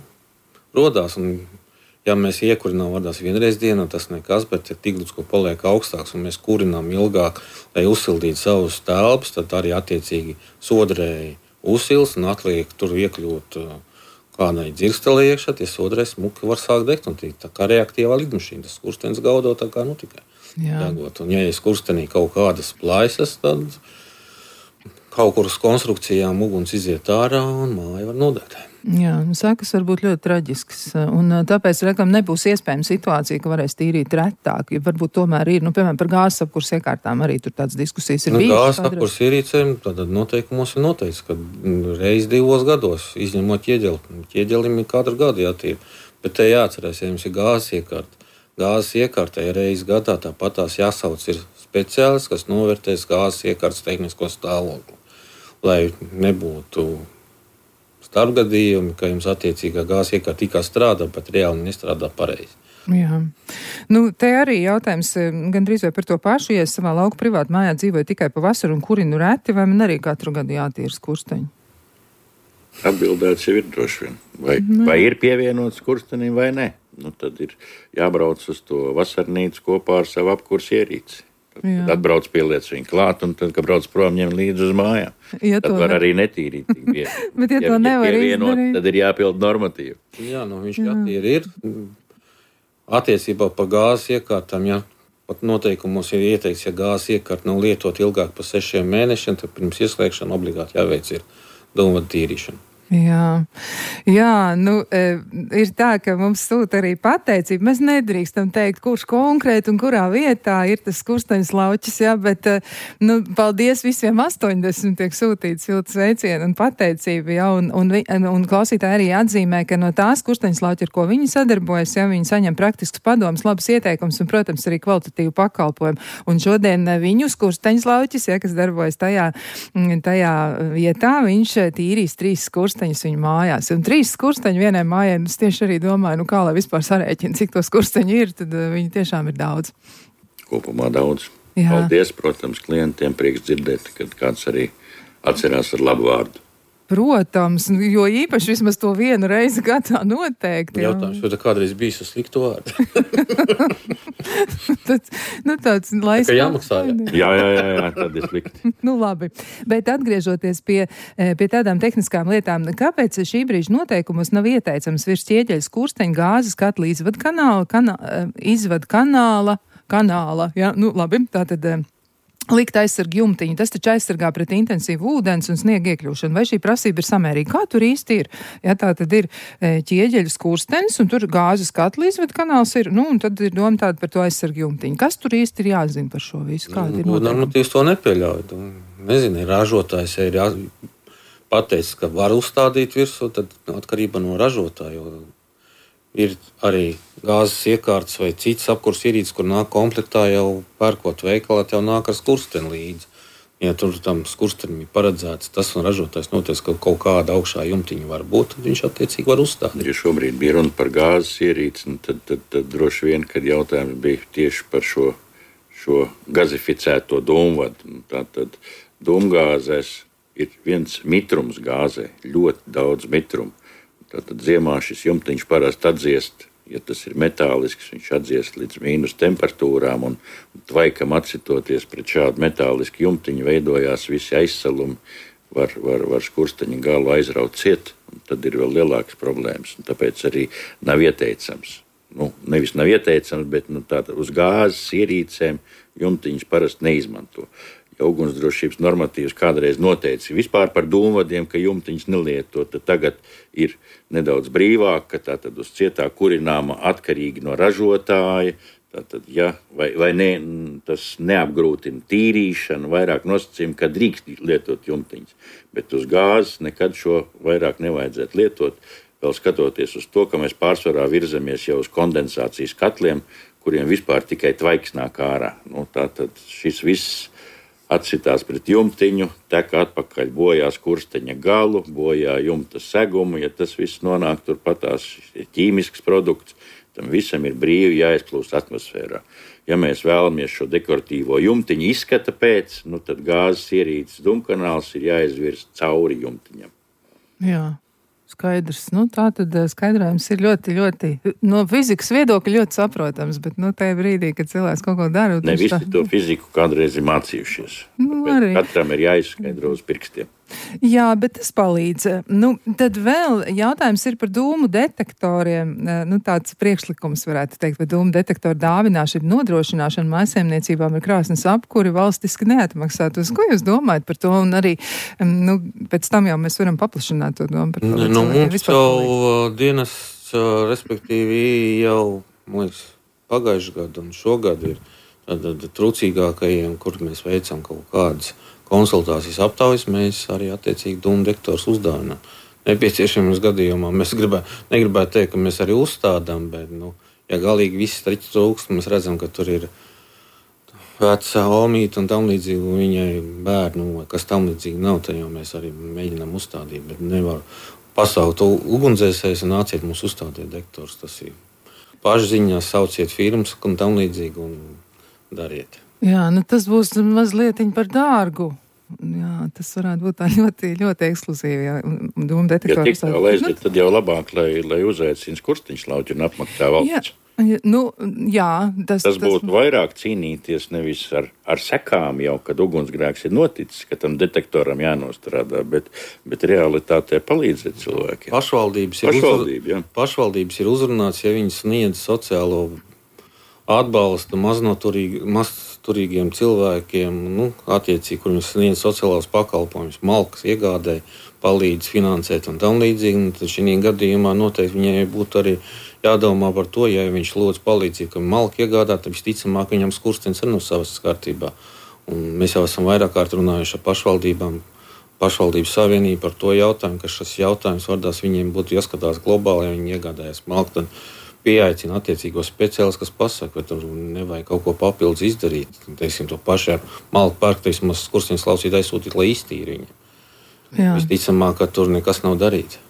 D: rodās. Un, ja mēs iekurinām vardās vienreiz dienā, tas nekas, bet ja tīkls, ko paliek augstāks un mēs kurinām ilgāk, lai uzsildītu savus telpas, tad arī attiecīgi sodarēji uzsils un atliek tur iekļūt kādai dzirkstelē iekšā, tie sodarēji smuki var sākt degt, un tā kā reaktīvā lidmašīna, tas skurstenis gaudo tā kā nu tikai degot. Un ja ir skurstenī kaut kādas plaisas, tad kaut kur uz konstrukcijām uguns iziet ārā un māja var nodegt.
B: Jā, sākas var būt ļoti traģisks, un tāpēc, reklam, nebūs iespējama situācija, ka varēs tīrīt retāk, ja varbūt tomēr ir, nu, piemēram, par gāzes apkurs iekārtām arī tur tādas diskusijas ir
D: nu,
B: bijušas.
D: Gāzes apkurs ierīcēm, tad noteikumos ir noteikts, ka reiz divos gados, izņemot ķieģeli, ķieģelim ir katru gadu jātīra, bet te jāatcerās, ja jums ir gāzes iekārta, gāzes iekārtai reiz gadā tāpat tās jāsauc ir speciālists, kas novērtēs gāzes iekārtas tehnisko stāvokli, lai nebūtu starpgadījumi, ka jums attiecīgā gāzes iekārta tikai strādā, bet reāli nestrādā pareizi.
B: Jā. Nu, te arī jautājums gandrīz vai par to pašu, ja es savā lauku privātu mājā dzīvoju tikai pa vasaru un kurinu reti, vai man arī katru gadu jātīra skursteņi?
C: Atbildēts jau ir droši vien. Vai, vai ir pievienots skurstenim vai ne? Nu, tad ir jābrauc uz to vasarnīcu kopā ar savu apkurs ierīci. Tad atbrauc pieliec viņu klāt, un tad, kad brauc prom, ņem līdzi uz mājām. Ja tad var ne... arī netīrīt tik bieži.
B: Bet ja, ja to nevar izdarīt,
C: tad ir jāpild normatīvi.
D: Jā, nu viņš jātīra ir. Attiecībā par gāzes iekārtām, ja pat noteikumos ir ieteikts, ja gāzes iekārta nav lietot ilgāk par sešiem mēnešiem, tad pirms ieslēgšana obligāti jāveic ir dūmvadu tīrīšana.
B: Jā, jā, nu, e, ir tā, ka mums sūta arī pateicība. Mēs nedrīkstam teikt, kurš konkrēti un kurā vietā ir tas skursteņas lauķis, jā, bet, nu, paldies visiem astoņdesmit tiek sūtīts silts sveicienu un pateicība, jā, un, un, un, un klausītāji arī atzīmē, ka no tās skursteņas lauķi, ar ko viņi sadarbojas, jā, viņi saņem praktisks padoms, labas ieteikums un, protams, arī kvalitatīvu pakalpojumu. Un šodien viņu skursteņas lauķis, jā, kas darbojas tajā, tajā vietā, viņš tīrīs trīs skursteņas viņu mājās. Un trīs skursteņi vienai mājai, es tieši arī domāju, nu kā lai vispār sarēķina, cik to skursteņi ir, tad viņi tiešām ir daudz.
C: Kopumā daudz. Jā. Paldies, protams, klientiem, prieks dzirdēt, kad kāds arī atcerās ar labu vārdu.
B: Protams, jo īpaši vismaz to vienu reizi gadā noteikti.
D: Jautājums, vai tā kādreiz bijis uz sliktu vārdu?
B: Tad, nu tāds, lai
D: tā kā jāmaksā, jā.
C: Jā, jā, jā, jā, tad ir slikti.
B: Nu labi, bet atgriežoties pie, pie tādām tehniskām lietām, kāpēc šī brīža noteikumos nav ieteicams virs ķieģeļa skursteņa gāzes katla izvada kanāla, kanā, izvada kanāla, kanāla, jā, nu labi, tātad likt aizsargu jumtiņu, tas taču aizsargā pret intensīvu ūdens un sniegu iekļūšanu. Vai šī prasība ir samērīga? Kā tur īsti ir? Ja tā tad ir ķieģeļa skurstenis un tur gāzes katla izved kanāls ir, nu un tad ir doma tāda par to aizsargu jumtiņu. Kas tur īsti ir jāzina par šo visu? Kāda ir noteikuma?
D: Normatīvs to nepieļauj. Nezinu, ražotājs ir jā, pateicis, ka var uzstādīt virsū, tad atkarība no ražotāja. Ir arī gāzes iekārtas vai citas apkurs ierīces, kur nāk komplektā jau pērkot veikalā, tev nāk ar skursteni līdzi. Ja tur tam skurstenim ir paredzēts tas un ražotājs noteic, ka kaut kāda augšā jumtiņa var būt, tad viņš attiecīgi var uzstādīt.
C: Ja šobrīd bija runa par gāzes ierīci, tad, tad, tad droši vien, kad jautājums bija tieši par šo, šo gazificēto dūmvadu. Tātad dūmgāzēs ir viens mitrums gāzē, ļoti daudz mitrumu. Tātad ziemā šis jumtiņš parasti atdziest, ja tas ir metālisks, viņš atdziest līdz mīnus temperatūrām un tvaikam atsitoties pret šādu metālisku jumtiņu veidojās visi aizsalumi, var, var, var skursteņa galu aizraut ciet, un tad ir vēl lielākas problēmas, un tāpēc arī nav ieteicams. Nu, nevis nav ieteicams, bet nu, tātad uz gāzes ierīcēm jumtiņus parasti neizmanto. Ja ugunsdrošības normatīvs kādreiz noteica vispār par dūmvadiem, ka jumtiņus nelieto, tad tagad ir nedaudz brīvāk, ka tātad uz cietā kurināma atkarīgi no ražotāja, tātad, ja, vai, vai ne, tas neapgrūtina tīrīšanu, vairāk nosacījumi, ka drīkst lietot jumtiņus, bet uz gāzes nekad šo vairāk nevajadzētu lietot, vēl skatoties uz to, ka mēs pārsvarā virzamies jau uz kondensācijas katliem, kuriem vispār tikai tvaiks nāk ārā. Nu, tātad šis viss atsitās pret jumtiņu, tek atpakaļ bojā skursteņa galu, bojā jumta segumu, ja tas viss nonāk turpatās ķīmisks produkts, tam visam ir brīvi jāizplūst atmosfērā. Ja mēs vēlamies šo dekoratīvo jumtiņu izskata pēc, nu tad gāzes ierīces dūmkanāls ir jāizvirs cauri jumtiņam.
B: Jā. Skaidrs. Nu, tā tad skaidrojums ir ļoti, ļoti, no fizikas viedokļa ļoti saprotams, bet, nu, tajā brīdī, kad cilvēks kaut ko dara...
C: Ne visi tā... to fiziku kādreiz ir mācījušies. Nu, arī. Katram ir jāizskaidro uz pirkstiem.
B: Jā, bet tas palīdz. Nu, tad vēl jautājums ir par dūmu detektoriem. Nu, tāds priekšlikums varētu teikt, vai dūmu detektoru dāvināšana, nodrošināšana mājsaimniecībām ar krāsnes apkuri valstiski neatmaksātos. Ko jūs domājat par to? Un arī, nu, pēc tam jau mēs varam paplašināt to domu par to.
D: Nu, mums jau dienas, respektīvi, jau, man liekas, pagājuši gadu un šogad ir tad trūcīgākajiem, kur mēs veicam kaut kādas konsultācijas aptaujas, mēs arī attiecīgi dūmu detektorus uzdāvinām. Nepieciešamības gadījumā mēs gribē, negribētu teikt, ka mēs arī uzstādām, bet, nu, ja galīgi viss striķi trūkst, mēs redzam, ka tur ir vecā omīta un tam līdzīgi, un viņai bērnu, kas tam līdzīgi nav, tad jau mēs arī mēģinām uzstādīt, bet nevar pasaukt ugunsdzēsējus un nāciet mums uzstādīt detektorus. Tas ir pašziņā, sauciet firmas un tam līdzīgi un dariet.
B: Jā, nu tas būs mazliet par dārgu. Jā, tas varētu būt tā ļoti, ļoti ekskluzīvi, jā, dūmu detektori.
C: Ja tik tā laiziet, tad jau labāk, lai, lai uzaicina skursteņš lauķi un apmaksā valsts.
B: Jā, nu, jā. Tas,
C: tas būtu tas... vairāk cīnīties nevis ar, ar sekām jau, kad ugunsgrēks ir noticis, ka tam detektoram jānostrādā, bet, bet realitātē palīdzēt cilvēkiem.
D: Pašvaldības ir,
C: Pašvaldība,
D: uzrun... Pašvaldības ir uzrunāts, ja viņi sniedz sociālo atbalstu maznoturīgi, mazturīgiem cilvēkiem, nu, attiecīgi, kur viņi sniedz sociālās pakalpojumus, malkas iegādēji, palīdz finansēt un tam līdzīgi, un tad šī gadījumā noteikti viņai būtu arī jādomā par to, ja viņš lūdz palīdzību, ka malka iegādā, tad visticamāk viņam skurstenis ir no savas kārtībā. Un mēs jau esam vairāk kārt runājuši ar pašvaldībām, pašvaldības savienību par to jautājumu, ka šis jautājums vardās viņiem būtu jāskatās globāli, ja viņi iegādājas malku, tad pieaicina attiecīgos speciālistus, kas pasaka, vai tur nevajag kaut ko papildus izdarīt. Teiksim, to pašā malku pērk, teiksim, skursteņa slaucīt aizsūtīt, lai iztīri viņa. Visticamāk, ka tur nekas nav darīts.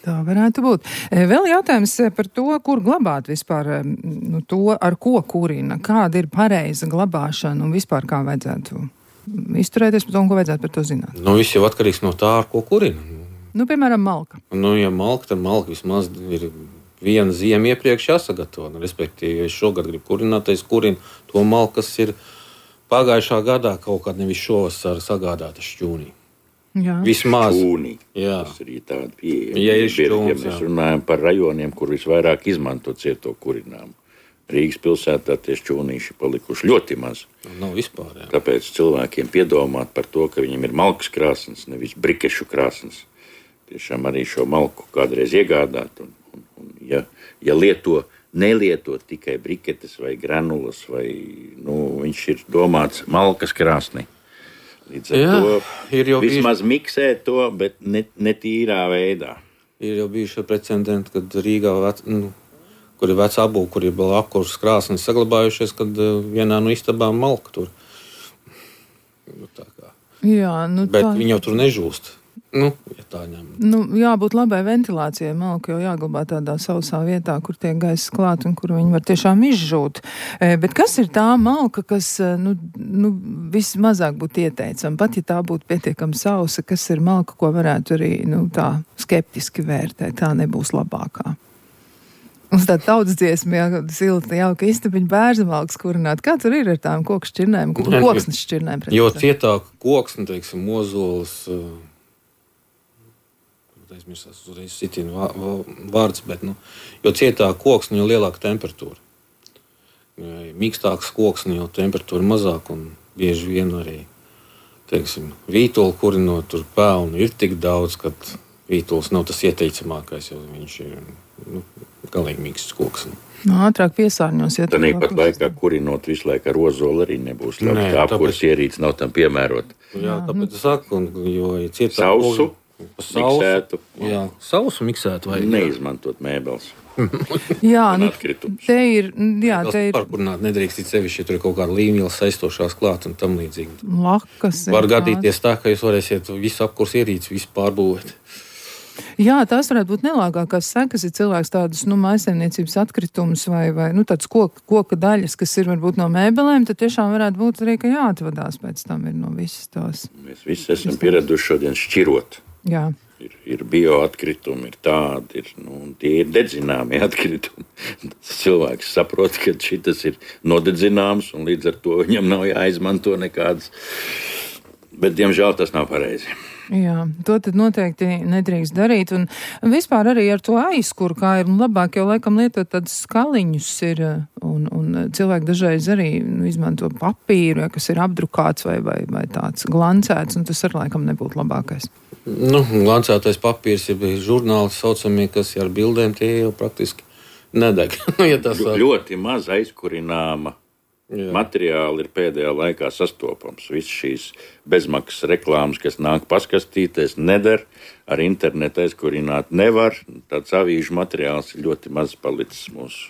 B: Tā varētu būt. Vēl jautājums par to, kur glabāt vispār, nu, to, ar ko kurina, kāda ir pareiza glabāšana un vispār kā vajadzētu izturēties par to un ko vajadzētu par to zināt.
D: Nu, viss jau atkarīgs no tā, ar ko kurina.
B: Nu, piemēram, malka.
D: Nu, ja malka, tad malka vismaz ir viena ziema iepriekš jāsagatavo. Nu, respektīvi, ja es šogad gribu kurināt, es kurinu to malku, kas ir pagājušā gadā kaut kādā nevis šovasar sagādāta šķūnī.
B: Jā.
D: Vismaz.
C: Šķūnī.
D: Jā.
C: Tas ir tāda pieeja.
D: Ja ir šķūns,
C: ja mēs runājam par rajoniem, kur visvairāk izmanto cieto kurināmu. Rīgas pilsētā tie šķūnīši palikuši ļoti maz.
D: Nav vispār, jā.
C: Tāpēc cilvēkiem piedomāt par to, ka viņiem ir malkas krāsnes, nevis brikešu krāsnes. Tiešām arī šo malku kādreiz iegādāt. Un, un, un, ja, ja lieto, nelieto tikai briketes vai granulas, vai nu, viņš ir domāts malkas krāsnī. Līdz ar
D: Jā,
C: to
D: ir jau
C: vismaz bijuši... miksē to, bet ne, ne tīrā veidā.
D: Ir jau bijuši precedenti, kad Rīgā, vec, nu, kur ir veca apbūve, kur ir vēl apkurses krāsnes saglabājušies, kad uh, vienā no istabām malka tur. Nu, tā kā.
B: Jā, nu
D: bet
B: tā...
D: viņi jau tur nežūst. Nu, ja tā ņem.
B: Nu, jābūt labai ventilācijai. Malka jau jāglabā tādā sausā vietā, kur tiek gaiss klāt un kur viņi var tiešām izžūt. E, bet kas ir tā malka, kas nu, nu, vismazāk būtu ieteicama? Pat ja tā būtu pietiekami sausa, kas ir malka, ko varētu arī nu, tā skeptiski vērtēt, tā nebūs labākā. Mums tā tautas dziesma, jā, silta, jauka istabiņa bērzamalks kurināt. Kā tur ir ar tām koku šķirnēm, koksnes šķirnēm?
D: Jo cietāk koksni, teiksim, mozolis, aizmirsās uzreiz sitina vārds, bet, nu, jo cietāk koksni, jo lielāka temperatūra. Mīkstāks koksni, jo temperatūra mazāk un bieži vien arī, teiksim, vītoli kurinot, tur pelnu ir tik daudz, ka vītols nav tas ieteicamākais, jo viņš ir, nu, galīgi mīksts koksni.
B: No, ātrāk piesārņos. Ja
C: tad pat laikā kurinot visu laiku ar ozolu arī nebūs labi. Nē, tā apkurs tāpēc... ierīce nav tam piemērot.
D: Jā, tāpēc es saku, un, jo ja cietāk...
C: Sausu,
D: sausu,
C: miksētu.
D: Jā, sausu miksētu vai...
C: Neizmantot mēbeles.
B: Jā, nu, te ir... Jā, te ir...
D: Parkurināt nedrīkst it sevišķi, ja tur ir kaut kāda līmīla saistošās klāt un tam līdzīgi.
B: Lakas.
D: Var gadīties tā, ka jūs varēsiet visu apkurs ierīci, visu pārbūvēt.
B: Jā, tās varētu būt nelāgākās sekas, ja cilvēks tādus, nu, mājsaimniecības atkritumus vai, vai, nu, tāds koka, koka daļas, kas ir varbūt no mēbelēm, tad tiešām varētu būt arī, ka jāatvadās pēc tam ir no visas tās. Mēs
C: visi esam pieraduši šodien šķirot.
B: Jā.
C: Ir, ir bioatkritumi, ir tādi, ir, nu, tie ir dedzināmi atkritumi. Cilvēks saprot, ka šitas ir nodedzināms un līdz ar to viņam nav jāizmanto nekādas. Bet, diemžēl, tas nav pareizi.
B: Jā, to tad noteikti nedrīkst darīt. Un vispār arī ar to aizkuru, kā ir labāk jau laikam lietot tādus skaliņus ir, un, un cilvēki dažreiz arī nu, izmanto papīru, ja, kas ir apdrukāts vai, vai, vai tāds glancēts, un tas ar laikam nebūtu labākais.
D: Nu, glancētais papīrs ir žurnāli saucamie, kas ar bildēm tie jau praktiski nedeg. ja tas var...
C: Ļoti maz aizkurināma. Jā. Materiāli ir pēdējā laikā sastopams. Viss šīs bezmaksas reklāmas, kas nāk paskastīties, neder, ar internetu aizkurināt nevar. Tāds avīžu materiāls ir ļoti maz palicis mūsu.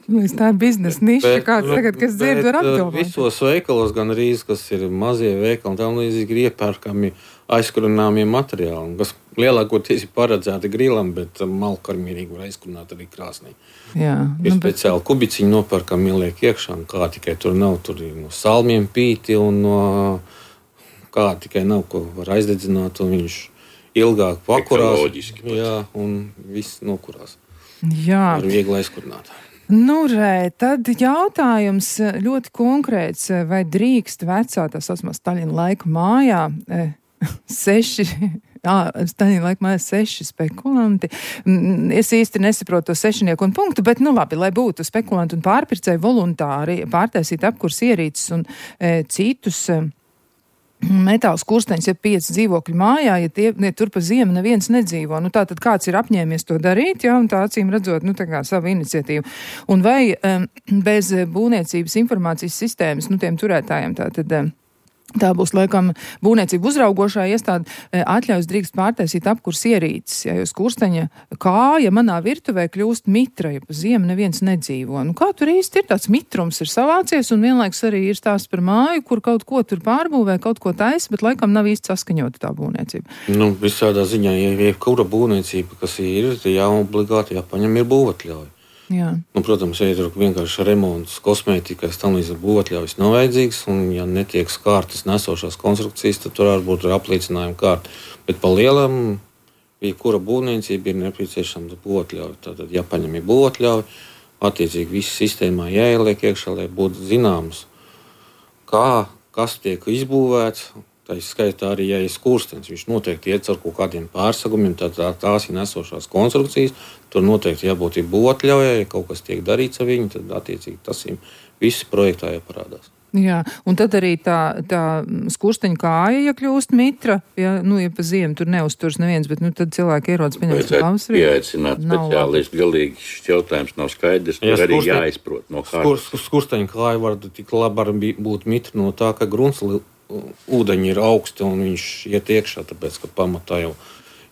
B: Tā ir biznesa niša, kāds tagad, kas dzird, var apdomāt.
D: Visos veikalos gan arī, kas ir mazie veikali, tam līdzīgi ir iepērkami aizkurināmie materiāli, kas lielākoties ir paredzēti grilam, bet malku arī mierīgi var aizkurināt arī krāsnī.
B: Jā,
D: ir
B: nu,
D: speciāli bet... kubiciņi nopērkam, ieliek iekšā, un kā tikai tur nav, tur ir no salmiem pīti, un no kā tikai nav, ko var aizdedzināt, un viņš ilgāk pakurās. Jā, un viss nokurās.
B: Jā.
D: Var viegli aizkurināt.
B: Nu, re, tad jautājums ļoti konkrēts, vai drīkst vecā, tā saucamā Staļina laika mājā, seši, jā, Staļina laika mājā seši spekulanti. Es īsti nesaprotu to sešinieku un punktu, bet, nu labi, lai būtu spekulanti un pārpircēji voluntāri pārtaisīt apkurs ierīces un e, citus e, metāls kursteņus, ja pieci dzīvokļi mājā, ja, tie, ja tur pa ziemu neviens nedzīvo. Nu, tā tad kāds ir apņēmies to darīt, jā, un tā acīm redzot, nu, tā kā savu iniciatīvu. Un vai um, bez būvniecības informācijas sistēmas, nu, tiem turētājiem tā tad... Um, Tā būs, laikam, būvniecība uzraugošā iestāde atļaus drīkst pārtaisīt apkurs ierīces, ja jūs kursteņa kāja manā virtuvē kļūst mitra, ja pa ziemu neviens nedzīvo. Nu, kā tur īsti ir tāds mitrums ir savācies, un vienlaiks arī ir stāsts par māju, kur kaut ko tur pārbūvē, kaut ko taisa, bet laikam nav īsti saskaņota tā būvniecība.
D: Nu, visādā ziņā, ja jebkura būvniecība, kas ir, jāobligāti jāpaņem ir būvatļauja.
B: Jā.
D: Nu, protams, ja ir vienkārši remonts, kosmētikas, tam līdz būvatļaujas nav vajadzīgs, un ja netiek skārtas nesošās konstrukcijas, tad tur var būt apliecinājuma kārta. Bet pa lielam jebkura būvniecība ir nepieciešama būvotļauja. Tātad, ja paņem ir būvotļauja, attiecīgi viss sistēmā jāieliek iekšā, lai būtu zināms, kā, kas tiek izbūvēts. Tā ir skaitā arī, ja ir skurstenis, viņš noteikti iet ar kaut kādiem pārsegumiem, tad tā, tās ir nesošās konstrukcijas, tur noteikti jābūt ir būvotļaujai, ja kaut kas tiek darīts ar viņu, tad attiecīgi tas ir viss projektā jāparādās.
B: Jā, un tad arī tā, tā skursteņa kāja, ja kļūst mitra, ja, nu, ja pa ziemu tur neuzturs neviens, bet, nu, tad cilvēki ierodas pieņemt pavasarī.
C: Pieaicināt speciālistu, galīgi šis jautājums nav skaidrs, tur ja, arī skursteņ, jāizprot no kārtas.
D: Skur, skursteņa kāja var tik labi būt mitra no tā, ka grunts ūdeņi ir augsti un viņš iet iekšā, tāpēc, ka pamatā jau,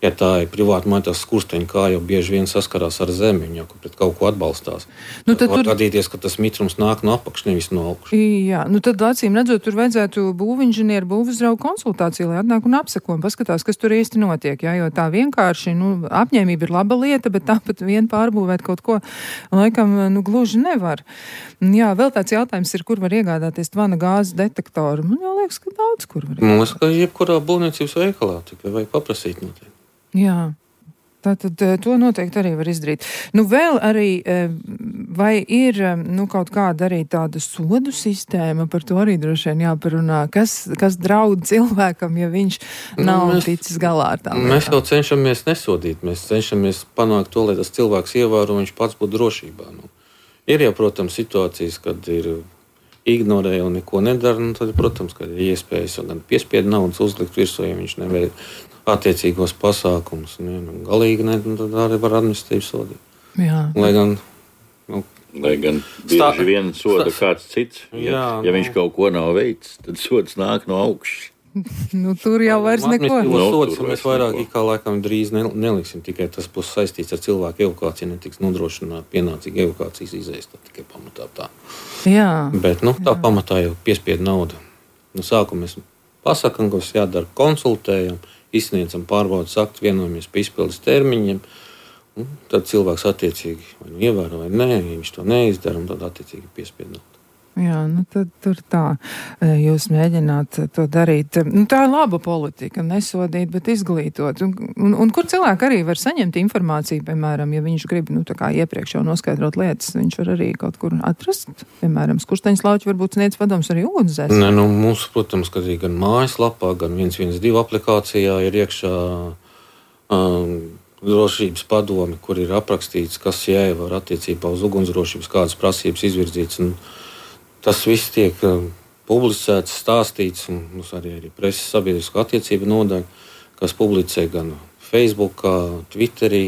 D: ja tā ir privāta māja, tās skursteņa kā jau bieži vien saskarās ar zemi, viņa jau pret kaut ko atbalstās. Nu, tad var tur gadīties, ka tas mitrums nāk no apakš, nevis no augšas.
B: Jā, nu tad acīm redzot, tur vajadzētu būvinženieru, būvuzraugu konsultāciju, lai atnāk un apseko un paskatās, kas tur īsti notiek, jā, jo tā vienkārši, nu, apņēmība ir laba lieta, bet tāpat vien pārbūvēt kaut ko, laikam, nu, gluži nevar. Jā, vēl tāds jautājums ir, kur var iegādāties tvana gāzes detektoru. Man jau liekas, ka daudz kur var iegādāties.
D: Mums, ka jebkurā būvniecības veikalā, tikai vajag paprasīt noteikti.
B: Jā, tātad to noteikti arī var izdarīt. Nu, vēl arī, vai ir, nu, kaut kāda arī tāda sodu sistēma, par to arī droši vien jāparunā, kas, kas draud cilvēkam, ja viņš nav nu, mēs, ticis galā ar tām.
D: Mēs jau cenšamies nesodīt, mēs cenšamies panākt to, lai tas cilvēks ievēro, viņš pats būtu drošībā. Nu, ir jau, protams, situācijas, kad ir ignorē un neko nedara, un tad, protams, kad ir iespējas gan piespiedu naudas uzlikt virsū, ja viņš neveid attiecīgos pasākumus. Nu, galīgi ne, tad arī var administratīvi sodīt.
B: Jā.
D: Lai gan, nu,
C: Lai gan bieži stā, vien soda stā, kāds cits. Ja, jā, ja viņš nu, kaut ko nav veicis, tad sods nāk no augšas.
B: Nu, tur jau vairs neko.
D: No, sods, mēs vairāk kā laikam drīz neliksim, tikai tas būs saistīts ar cilvēku evakuāciju, netiks nodrošināt pienācīgi evakuācijas izējas, tad tikai pamatā tā.
B: Jā.
D: Bet, nu, tā
B: jā.
D: pamatā jau piespiedu nauda. Nu, sākumā mēs pasakam, kas jādara, konsultējam, izsniedzam pārbaudas aktu, vienojamies par izpildes termiņiem, un tad cilvēks attiecīgi vai nu ievēro vai nē, ja viņš to neizdara, un tad attiecīgi piespiedu naudu.
B: Jā, nu tad tur tā, jūs mēģināt to darīt. Nu, tā ir laba politika, nesodīt, bet izglītot. Un, un, un kur cilvēki arī var saņemt informāciju, piemēram, ja viņš grib, nu, tā kā iepriekš jau noskaidrot lietas, viņš var arī kaut kur atrast, piemēram, skursteņas lauķi varbūt sniedz padoms arī ūdenzēs.
D: Nē, nu, mums, protams, ka arī gan mājaslapā, gan viens viens divi aplikācijā ir iekšā um, drošības padomi, kur ir aprakstīts, kas jāievēro attiecībā uz ugunsdrošības, kādas prasības izvirzītas. Un tas viss tiek um, publicēts, stāstīts, un mums arī ir preses sabiedrisko attiecību nodaļa, kas publicē gan Facebookā, Twitterī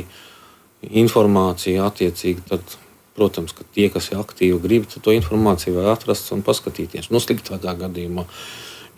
D: informāciju attiecīgi. Tad, protams, ka tie, kas ir aktīvi grib, tad to informāciju var atrast un paskatīties. Nu, sliktākā gadījumā,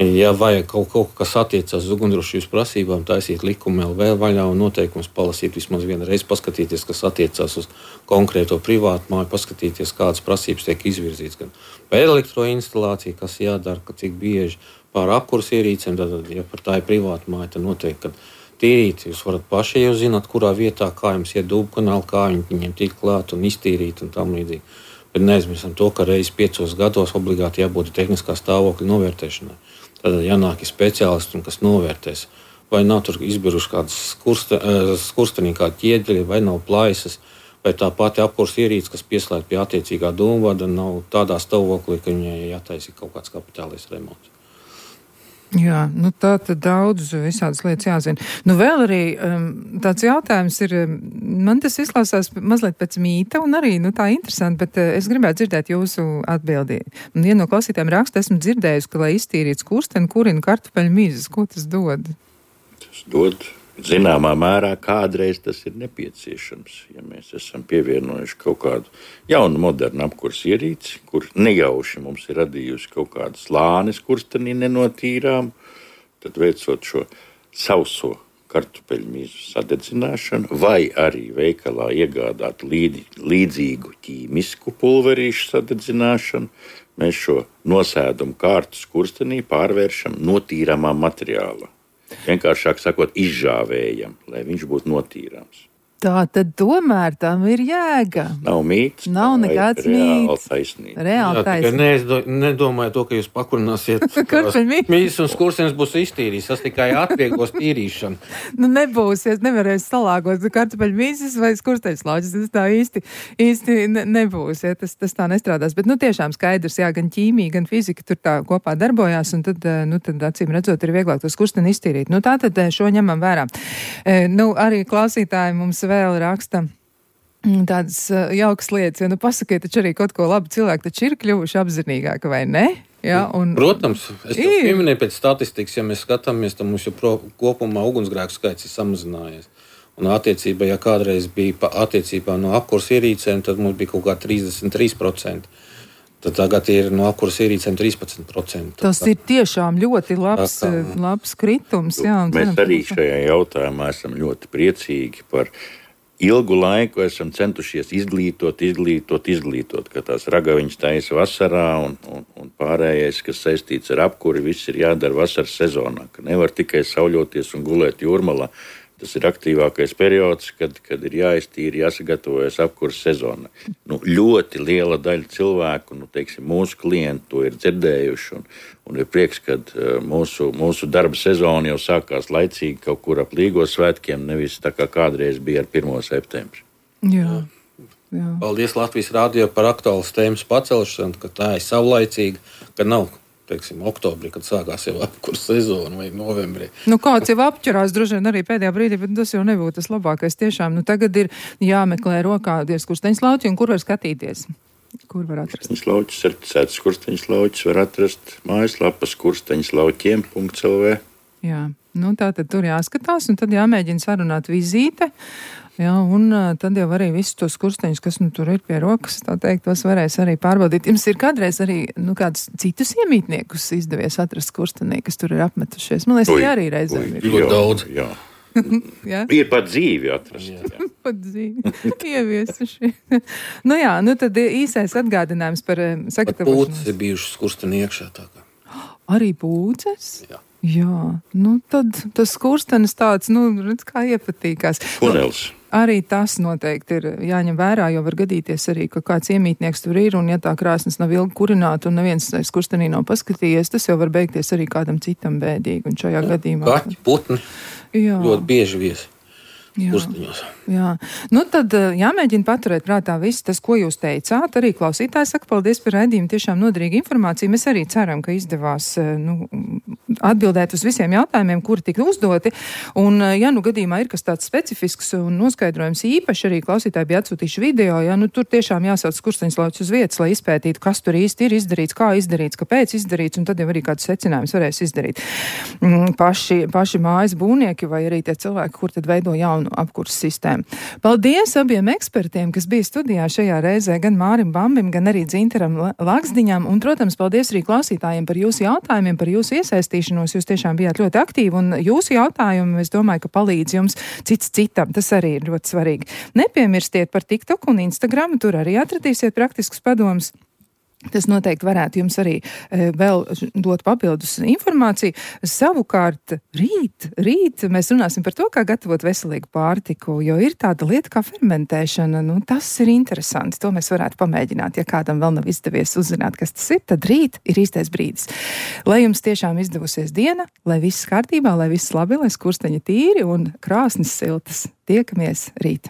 D: ja vajag kaut, kaut kas attiecās uz ugunsdrošības prasībām, taisīt likumu vēl vēl vaļā un noteikums palasīt vismaz vienu reizi, paskatīties, kas attiecās uz konkrēto privātu māju, paskatīties, kādas prasības tiek izvirzītas. Gan par elektroinstalāciju, kas jādara, ka cik bieži pār apkurs ierīcēm, tad, ja par tā ir privāta māja, tad noteikti, ka tīrīt jūs varat paši jau zināt, kurā vietā, kā jums iet dūbu kanāli, kā viņiem tikt klāt un iztīrīt un tam līdzīgi. Bet neaizmirstam to, ka reiz piecos gados obligāti jābūt tehniskā stāvokļa novērtēšanai. Tad jānāk ir speciālisti, kas novērtēs, vai nav tur izbiruši kādas skurste, skurstenī kādi ķieģeļi, vai nav plaisas, vai tā pati apkurs ierīce, kas pieslēgt pie attiecīgā dūmvada, nav tādā stāvoklī, ka viņai jātaisa kaut kāds kapitālais remonts.
B: Jā, nu tā tad daudz visādas lietas jāzina. Nu vēl arī um, tāds jautājums ir, man tas izklausās mazliet pēc mīta un arī, nu tā interesanti, bet uh, es gribētu dzirdēt jūsu atbildi. Un viena no klausītājiem raksta, esmu dzirdējusi, ka, lai iztīrītu skursteni, kurina kartupeļu mizas. Ko tas dod?
C: Tas dod zināmā mērā kādreiz tas ir nepieciešams, ja mēs esam pievienojuši kaut kādu jaunu, modernu apkurs ierīci, kur nejauši mums ir radījusi kaut kādu slāni skurstenī nenotīrām, tad veicot šo sauso kartupeļu mīzu sadedzināšanu, vai arī veikalā iegādāt līdzi, līdzīgu ķīmisku pulverīšu sadedzināšanu, mēs šo nosēdumu kārtu skurstenī pārvēršam notīramā materiālā. Vienkāršāk sakot, izžāvējam, lai viņš būtu notīrāms.
B: Tā tad tomēr tam ir jēga.
C: Nav mīts.
B: Nav nekāds mīts.
C: Taisnība.
B: Reāli taisnība.
D: Nedomāju, nedomāju to, ka jūs pakurināsiet. Mīts un skurstenis būs iztīrījis. Tas tikai atvieglos tīrīšanu.
B: Nu nebūs, ja nevarēs salāgot kartupeļu mīzes vai skursteņu slauķis. Tas tā īsti, īsti ne, nebūs, ja tas, tas tā nestrādās. Bet nu tiešām skaidrs, jā, gan ķīmija, gan fizika tur tā kopā darbojās, un tad, nu tad acīm redzot ir vieglāk to skursteni iztīrīt. Nu tā tad šo ņemam vērā. E, nu arī klausītāji mums vēl raksta tādas uh, jaukas lietas, jo, nu, pasakiet, taču arī kaut ko labi cilvēki taču ir kļuvuši apzinīgāki, vai ne? Jā, un...
D: Protams, es to pieminēju pēc statistikas, ja mēs skatāmies, tad mums jau pro, kopumā ugunsgrēku skaits ir samazinājies. Un attiecībā, ja kādreiz bija pa, attiecībā no apkurs ierīcēm, tad mums bija kaut kā trīsdesmit trīs procenti. Tad tagad ir no apkurs ierīcēm trīspadsmit procenti.
B: Tas ir tiešām ļoti labs, tā, labs kritums. Jā, un
C: mēs arī šajā jautājumā esam ļoti priecīgi par ilgu laiku esam centušies izglītot, izglītot, izglītot, ka tās ragaviņas taisa vasarā un, un, un pārējais, kas saistīts ar apkuri, viss ir jādara vasaras sezonā, ka nevar tikai sauļoties un gulēt jūrmalā. Tas ir aktīvākais periods, kad, kad ir jāiztīra, jāsagatavojas apkuras sezonai. Nu, ļoti liela daļa cilvēku, nu, teiksim, mūsu klienti to ir dzirdējuši, un, un ir prieks, ka uh, mūsu, mūsu darba sezona jau sākās laicīgi kaut kur ap Līgos svētkiem, nevis tā kā kādreiz bija ar pirmo septembri.
B: Jā. Jā.
D: Paldies Latvijas rādio par aktuālas tēmas pacelšanu, ka tā ir savlaicīga, ka nav, teiksim, oktobrī, kad sākās jau apkurs sezona vai novembrī.
B: Nu, kāds jau apķerās droši vien arī pēdējā brīdī, bet tas jau nebūtu tas labākais. Tiešām, nu, tagad ir jāmeklē rokā tie skursteņslauķi, un kur var skatīties? Kur var atrast?
C: Skursteņslauķis, certificēts skursteņslauķis var atrast mājaslapā skursteņslauķiem punkt el vē.
B: Jā, nu tā tad tur jāskatās, un tad jāmēģina sarunāt vizīte. Jā, un uh, tad jau arī visus tos skursteņus, kas nu tur ir pie rokas, tā teikt, tos varēs arī pārbaudīt. Jums ir kādreiz arī, nu, kādus citus iemītniekus izdevies atrast skurstenī, kas tur ir apmetušies? Man liekas, tie arī reizēm ir.
C: Ļoti
D: daudz.
C: Jā.
B: Jā?
C: Ir pat dzīvi atrast. Jā.
B: Pat dzīvi. Ieviesuši. Nu jā, nu tad īsais atgādinājums par uh, sagatavošanos.
D: Pūces ir bijušas skursteni iekšā tā kā.
B: Arī pūces?
D: Jā.
B: Jā, nu tad tas skurstenis tāds, nu, redz, kā iepatīkās.
C: Tunels.
B: Nu, arī tas noteikti ir jāņem vērā, jo var gadīties arī, ka kāds iemītnieks tur ir, un ja tā krāsnes nav ilgi kurināta un neviens skurstenī nav paskatījies, tas jau var beigties arī kādam citam bēdīgi, un šajā gadījumā...
D: Kaķi, putni,
B: jā.
D: Ļoti bieži viesi.
B: Jā,
D: Kursteņos.
B: jā. Nu tad jāmēģina paturēt prātā viss tas, ko jūs teicāt. Arī klausītāji saka, paldies par raidījumu, tiešām noderīgu informāciju. Mēs arī ceram, ka izdevās nu, atbildēt uz visiem jautājumiem, kuri tika uzdoti. Un, ja nu gadījumā ir kas tāds specifisks un noskaidrojums īpaši, arī klausītāji bija atsūtījuši video, ja nu tur tiešām jāsauc skursteņslauķis uz vietas, lai izpētītu, kas tur īsti ir izdarīts, kā izdarīts, kāpēc izdarīts, un tad jau arī kādus secinājumus varēs izdarīt paši, paši mājas būvnieki vai arī tie cilvēki, kur tad veido jaunu apkurss sistēmu. Paldies abiem ekspertiem, kas bija studijā šajā reizē, gan Mārim Bambim, gan arī Dzintaram Laksdiņam, un, protams, paldies arī klausītājiem par jūsu jautājumiem, par jūsu iesaistīšanos. Jūs tiešām bijāt ļoti aktīvi, un jūsu jautājumi, es domāju, ka palīdz jums cits citam. Tas arī ir ļoti svarīgi. Nepiemirstiet par TikTok un Instagram, tur arī atradīsiet praktiskus padomus. Tas noteikti varētu jums arī e, vēl dot papildus informāciju. Savukārt rīt, rīt mēs runāsim par to, kā gatavot veselīgu pārtiku, jo ir tāda lieta kā fermentēšana. Nu, tas ir interesanti. To mēs varētu pamēģināt. Ja kādam vēl nav izdevies uzzināt, kas tas ir, tad rīt ir īstais brīdis. Lai jums tiešām izdevusies diena, lai viss kārtībā, lai viss labi, lai skursteņi tīri un krāsnes siltas. Tiekamies rīt.